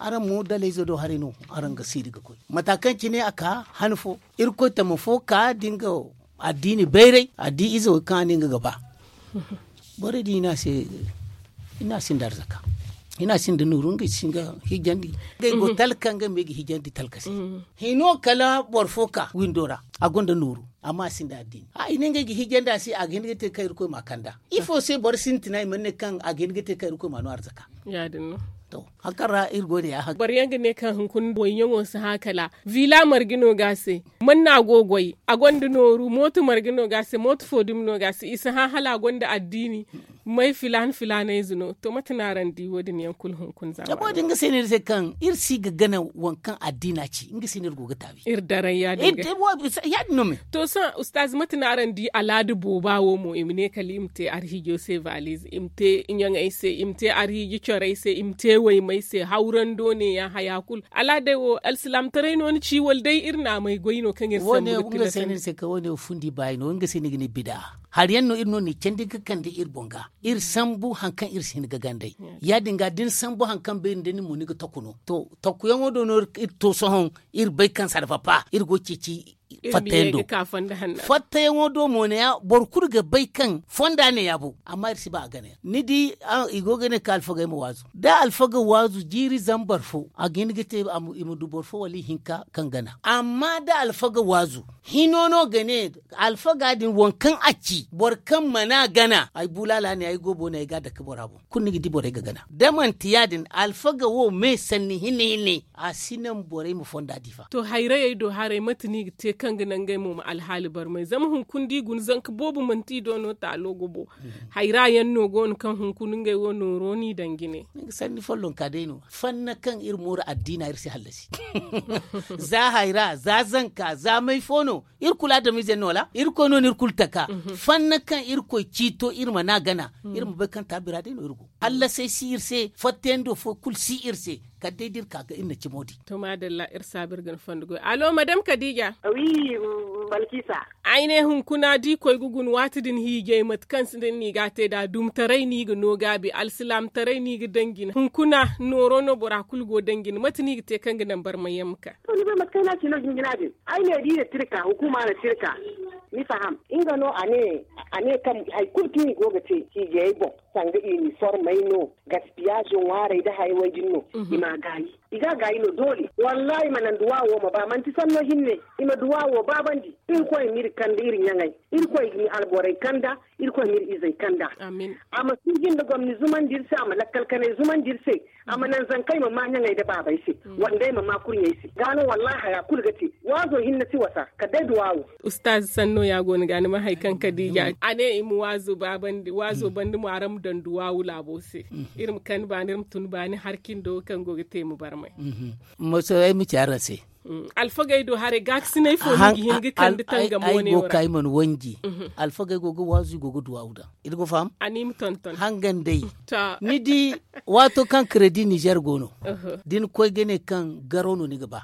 Araŋ mo dalayze do haray no araŋ ga siiri ga koy mata kaŋ cine a ka han fo irkoy tama fo ka da nga addiini bayray a di ize wo kaŋ a ne nga ga ba. Borey din i ne a se i ne a sinda arzaka i ne a sinda nooru ngey si ga hiijandi ngey go talka ngey mo i ga hiijandi talka se. Hino kala boro fo ka windo ra a gonda nooru amma a sinda addiini a i ne ngey ga hiijandi a se a ga hin ga te kaŋ irkoy ma a kand'a. Ifo se boro sintina i mana ne kaŋ a ga hin ga te kaŋ irkoy ma no arzaka. Haŋ kaŋ ra iri go ne ya haŋ boro yaŋ ga ne kaŋ hunkuna boyyaŋo si hã kala vila marga no ga a se. Manna go goy a gonda nooru mooto marga no ga a se mooto fo dumi no ga a se i si hã hala a gonda addiini. May filaana filaana ize no to mate no araŋ di wo- din yaŋ kulu hunkuna zamano wo- din nga se no iri se kaŋ iri si ga gana waŋ kaŋ addiina ci nga se no iri go ga taabi. Iri daray ya- din no me. To sohõ ustaaz mate no araŋ di alaada booba wo mo i ma ne kala i ma te arhiijo se valize i ma te ɲaŋey se i ma te arhiiji corey se i ma te waymey se hawrando ne ya haya kulu alaadey wo alsilaamataray no ni ci wala day iri naamey goy no kaŋ iri sambu ga tila se no iri se kaŋ wo- ne wo fundi baayi no nga se no i ga ne bida. Hari yaŋ no iri no ni candi ga kande iri boŋ ga iri sambu hari kaŋ iri si hin ga gandey. Ya- din ga da ni sambu hari kaŋ beeri nda ni mo ni ga taku no to takuyaŋo do no iri to sohõ iri bay kaŋ sarfa pa iri go ceeci fattayaŋ do. Fattayaŋo do mo ne ya boro kulu ga bay kaŋ fonda ne ya bo amma iri si ba a gana yaŋ ni di i go ga ne kaŋ alfagey ma waazu da alfaga waazu jiiri zambar fo a ga hin ga te i ma du boro fo wala ihinka kaŋ gana amma da alfaga waazu hino no ga ne alfaga din waŋ kaŋ a ci boro kaŋ mana gana ay bulaala ne ay go boone ay ga a dake bora boŋ kulu ni ga di borey ga gana da manti ya- din alfaga wo me sanni hinne hinne a si naŋ borey ma fonda di fa. To hayrayey do haray mate no i ga te kaŋ ga naŋ ngey mo ma alhaali barmay zama hunkuna da i guna zanka boobo manti i do no taalo ga bo. Hayra yaŋ no go no kaŋ hunkuna ngey wo nooro no i daŋ jine. Ni ga sanni follonka day no fanna kaŋ iri mooru addiina iri si hallasi. Za hayra za zanka za may fo no iri kulu adamize no wala irkoy no no iri kulu taka. Fanna kaŋ irkoy ciito iri mana gana iri ma bay kaŋ taabira day no iri go hallasay si iri se fattayaŋ do fo kulu si iri se. Kala day da iri ka ga iri na cimo di. To maadalla iri saabu iri ga ni fondo goy alo madam kadiija. Wi balkisa. Ay ne hunkuna da i koy ga guna waati din hiijay mate kaŋ sinda ni ga a te nd'a dumtaray no i ga no gaabi alsilaamataray no i ga daŋ jine hunkuna nooro no bora kulu go daŋ jine mate no i ga te kaŋ ga naŋ barmayaŋ ma ka? To ni bay mate kaŋ ay ne a ci no jinjina din ay ne da i na tirka hukuma na tirka. Ni faham nga no a ne a ne kaŋ hari kulu kaŋ i go ga te hiijayey boŋ sanga iniformey no gaspiyaazo ŋwaarey nda hayey way din no. I ma a gaayi i ga a gaayi no doole wallaahi ma naŋ duwaawo ma ba manti sanno hinne. I ma duwaawo baabandi irkoy ma iri kanda iri ɲaŋey irkoy ma alborey kanda irkoy ma iri izey kanda. A ma suuji nda gomni zumandi iri se a ma lakkal kanay zumandi iri se. A ma naŋ zankey ma maa ɲaŋey nda baabey se wandey ma maa kurɲey se ga no wallaahi haya kulu ga te. Waazo hinne si wasa kala day duwaawo. Ustaaz sanno ya go ni ga ni ma hari kaŋ kadiija a ne i ma waazo baabandi waazo banda mo araŋ ma. Danduwaawu laabo se. Iri ma kani baani iri ma tun baani hari cindo kaŋ go ga te ma barmay. Masoyey ma ci araŋ se. Alfagey do haray gaakasinay fo no ga hin ga kande tangamo ne wo ra. Ay go ga ka i mana wanji. Alfagey go ga waazu i go ga duwaawu daŋ. Iri ga faham. Hangan day. Ni di, waato kaŋ kredi nizer go no, da ni koy ga ne kaŋ garo no ni ga ba.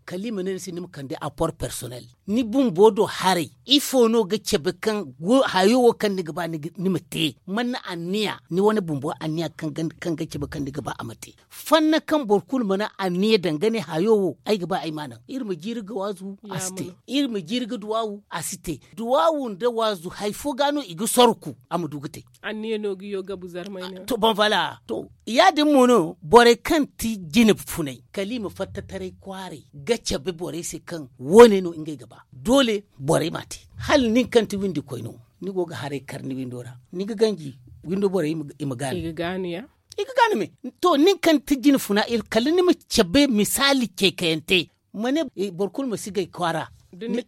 Kala i ma ne ni se ni ma kande apor personel. Ni bumbo do haray ifo no ga cabe kaŋ hayo wo kaŋ ni ga ba ni ma te? Manna anniya ni wane bumbo anniya kaŋ ga cabe kaŋ ni ga ba a ma te? Fanna kaŋ boro kulu mana anniya daŋ ga ne hayo wo ay ga ba ay ma a naŋ. Iri ma jiiri ga waazu a si te. Iri ma jiiri ga duwaawu a si te. Duwaawu nda waazu hari fo ga no i ga sorku a ma du ga te. Anniya no ga yo gabu zarmay ne. To ban fala to ya- din mo no borey kaŋ ti jine funay kala i ma fatta taray kwaaray ga cabe borey se kaŋ wo- ne no ngey ga ba. Doole borey m'a te. Hala nin kaŋ ti windi koy no ni go ga haray kar ni windo ra ni ga ganji windo borey i ma gaani. I ga gaani me. To nin kaŋ ti jine funa kala ni ma cabe misaali ceekayante. Ma ne boro kulu ma si gay kwaara. Ni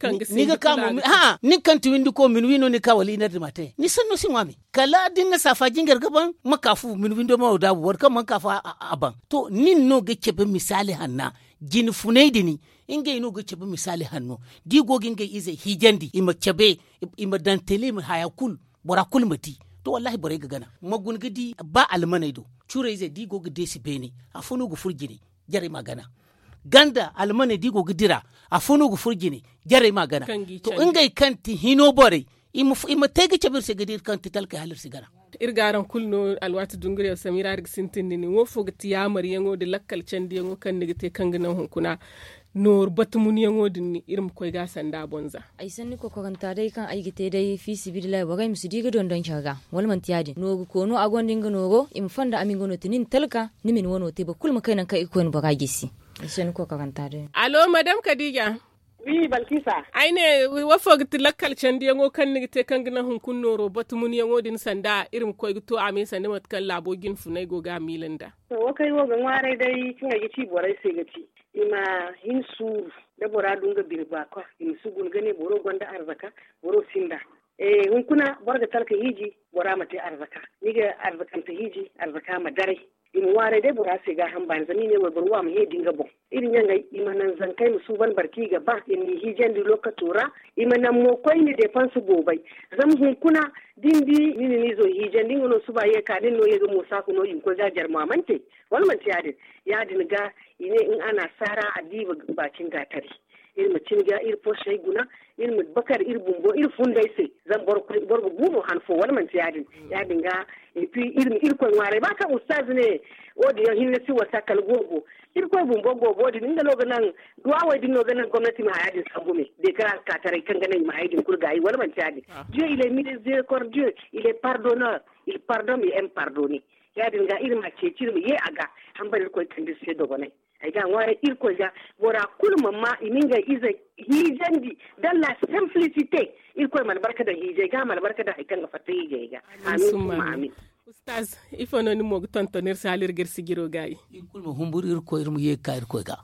ga ka mo nin kaŋ ti windi ko min wi no ni ga ka wala i nardi ma te ni sanno si ŋwa me. Kala da ni na saafa jingar ga ban ma ka fu min windo ma wo daabu boro kaŋ mana ka fu a ban. To nin no ga cabe misaali hanna. Jine funay din ngey no ga cabe misaali hanno da i go ga ngey izey hiijandi i ma cabe i ma daŋ tele i ma haya kulu. Bora kulu ma di. To wallahi borey ga gana ma guna ga di ba almaney do. Curayzey da i go ga deesi beene afo no ga furo jine. Jarey ma gana ganda almaney da i go ga dira afo no ga furo jine. Jarey ma gana. To ngey kaŋ ti hino borey i ma te ga cabe iri se ga di iri kaŋ ti talkey hala iri si gana. Iri ga araŋ kulu no alwaati dunguriyaŋ samira iri ga sintin da nin wo fo ga ti yaamaryaŋo nda lakkal candiyaŋo kaŋ ni ga te kaŋ ga naŋ hunkuna nooru batumunyaŋo din iri ma koy ga a sanda a boŋ za. Ay sanni kokoranta day kaŋ ay ga te day fiisabilillahi borey ma si di ga dondon care ga wala manti ya- din nooru koono a gonda nga nooro i ma fonda a ma nga no tinin talka ni ma ni wano te boro kulu ma kay nangu kaŋ irkoy na bora gisi. Ay sanni kokoranta day. Alo madam kadiija. Wi balkisa ay ne, wo fo ga ti lakkal candiyaŋo kaŋ ni ga te kaŋ ga naŋ hunkuna nooro batumunyaŋo din sanda iri ma koy ga to a me sanda mate kaŋ laabo jine funay go ga a miila nd'a? To wo kaŋ ay wo ga ŋwaaray day kaŋ ay ga ci borey se ga ti i ma hin suuru. Da bora du nga bine baakwa i ma si guna ga ne boro gonda arzaka, boro sinda. Hunkuna boro ga talka hiiji bora ma te arzaka. Ni ga arzakante hiiji arzaka ma daray. I ma ŋwaaray day bora se gaaham baani zama i ne wayboro wo a ma heedi nga boŋ. Iri ɲaŋey i ma naŋ zankey ma suuban boro kaŋ i ga ba i ma i hiijandi lokaco ra. I ma naŋ mo koyne deepanse boobay. Zama hunkuna da ni di ni na ni izo hiijandi nga no suba ye ka nin no ye ga moosa ka no i ma koy ga a jare mo a mana te. Wala manti ya- din? Ya- din ga i ne in a na saara a diiba baakin gaatari. Iri ma cin ga iri poosey guna. Iri ma bakar iri bumbo iri fundey se. Zama boro ga guuno han fo wala manti ya- din? Ya- din ga. Iri ma irkoy ŋwaaray ba kaŋ ustaaz ne wo- din yaŋ hinne si wasa kala goobo. Irkoy bumbo goobo din nga no ga naŋ duwawey din no ga naŋ gomnati ma haya din sambu me. De ka ka taray kaŋ ga naŋ i ma haya din kulu gaayi wala manti ya- din? Dieu il est miséricordieux, il est pardonneur. Il pardonne et aime pardonner. Ya- din ga iri ma ceeci iri ma ye a ga. Hambara irkoy kande iri se dogonay. Ay ga a ŋwaaray irkoy ga bora kulu ma ma i ma ngey izey hiijandi. Dalla simplicité. Irkoy ma albarka daŋ hiijey ga ma albarka daŋ hari kaŋ ga fatta hiijey ga. Amin summa amin. Ustaz, ifo no ni mo ga tonton iri se hala iri ga iri sijiro gaayi? Iri kulu ma humburu irkoy iri ma ye ga ka irkoy ga.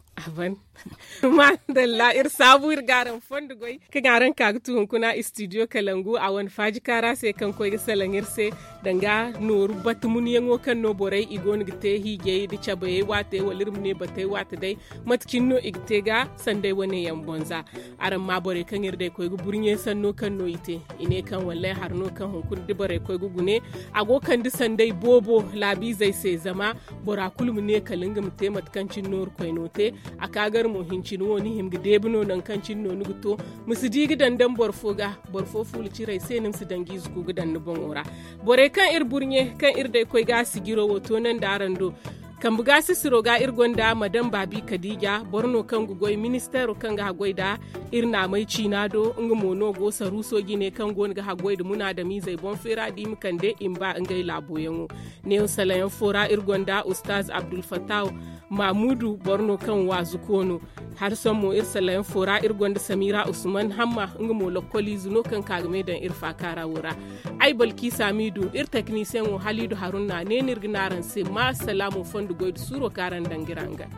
Madalla iri saabu iri ga araŋ fondo goy kaŋ araŋ ka ga tu hunkuna studio kalangu a wane faaji kaara se kaŋ koy ga salaŋ iri se. Danga nooru batumunyaŋo kaŋ no borey i go no ga te hiijay nda cabayey waate wala iri ma ne batey waate day. Mate cine no i ga te ga sanday wane yaŋ boŋ za? Araŋ ma borey kaŋ iri day koy ga burɲe sanno kaŋ no i te. I ne kaŋ wallay hari no kaŋ hunkuna da borey koy ga gune a go kande sanday boobo laabiizey se zama bora kulu ma ne kala nga ma te mate kaŋ cine nooru koyno te. A ka gar mo hincine wo ni hima ga deebi no nangu kaŋ cine no ni ga to. Ma si di ga daŋ daŋ boro fo ga. Boro fo fuula cire ay se ni ma si daŋ ga ize ku ga daŋ ni boŋo ra. Borey kaŋ iri burɲe kaŋ iri day koy ga a sijiro wo toonandi araŋ do. Kambe ga sisiro ga iri gonda madam baabi kadiija boro no kaŋ ga goy ministeero kaŋ ga haggoy nda iri naamey ciina do nga mo no go saruuso jine kaŋ go no ga haggoy nda munaadamiizey boŋ feera da i ma kande i ma ba ngey laaboyaŋo. Neewo salayaŋ fo ra iri gonda ustaaz abdulfattahu. Maamuudu boro no kaŋ waazu koono. Hari sohõ mo iri salayaŋ fo ra iri gonda samiira usman hamma nga mo lokkoliize no kaŋ ka ga me daŋ iri faakaara wo ra. Ay balkiisa miidu iri teknisiyeŋo haliidu harunna ne no iri ga ne araŋ se ma salaamo fondo goy nda suuro kaŋ araŋ daŋ ga iri hangan.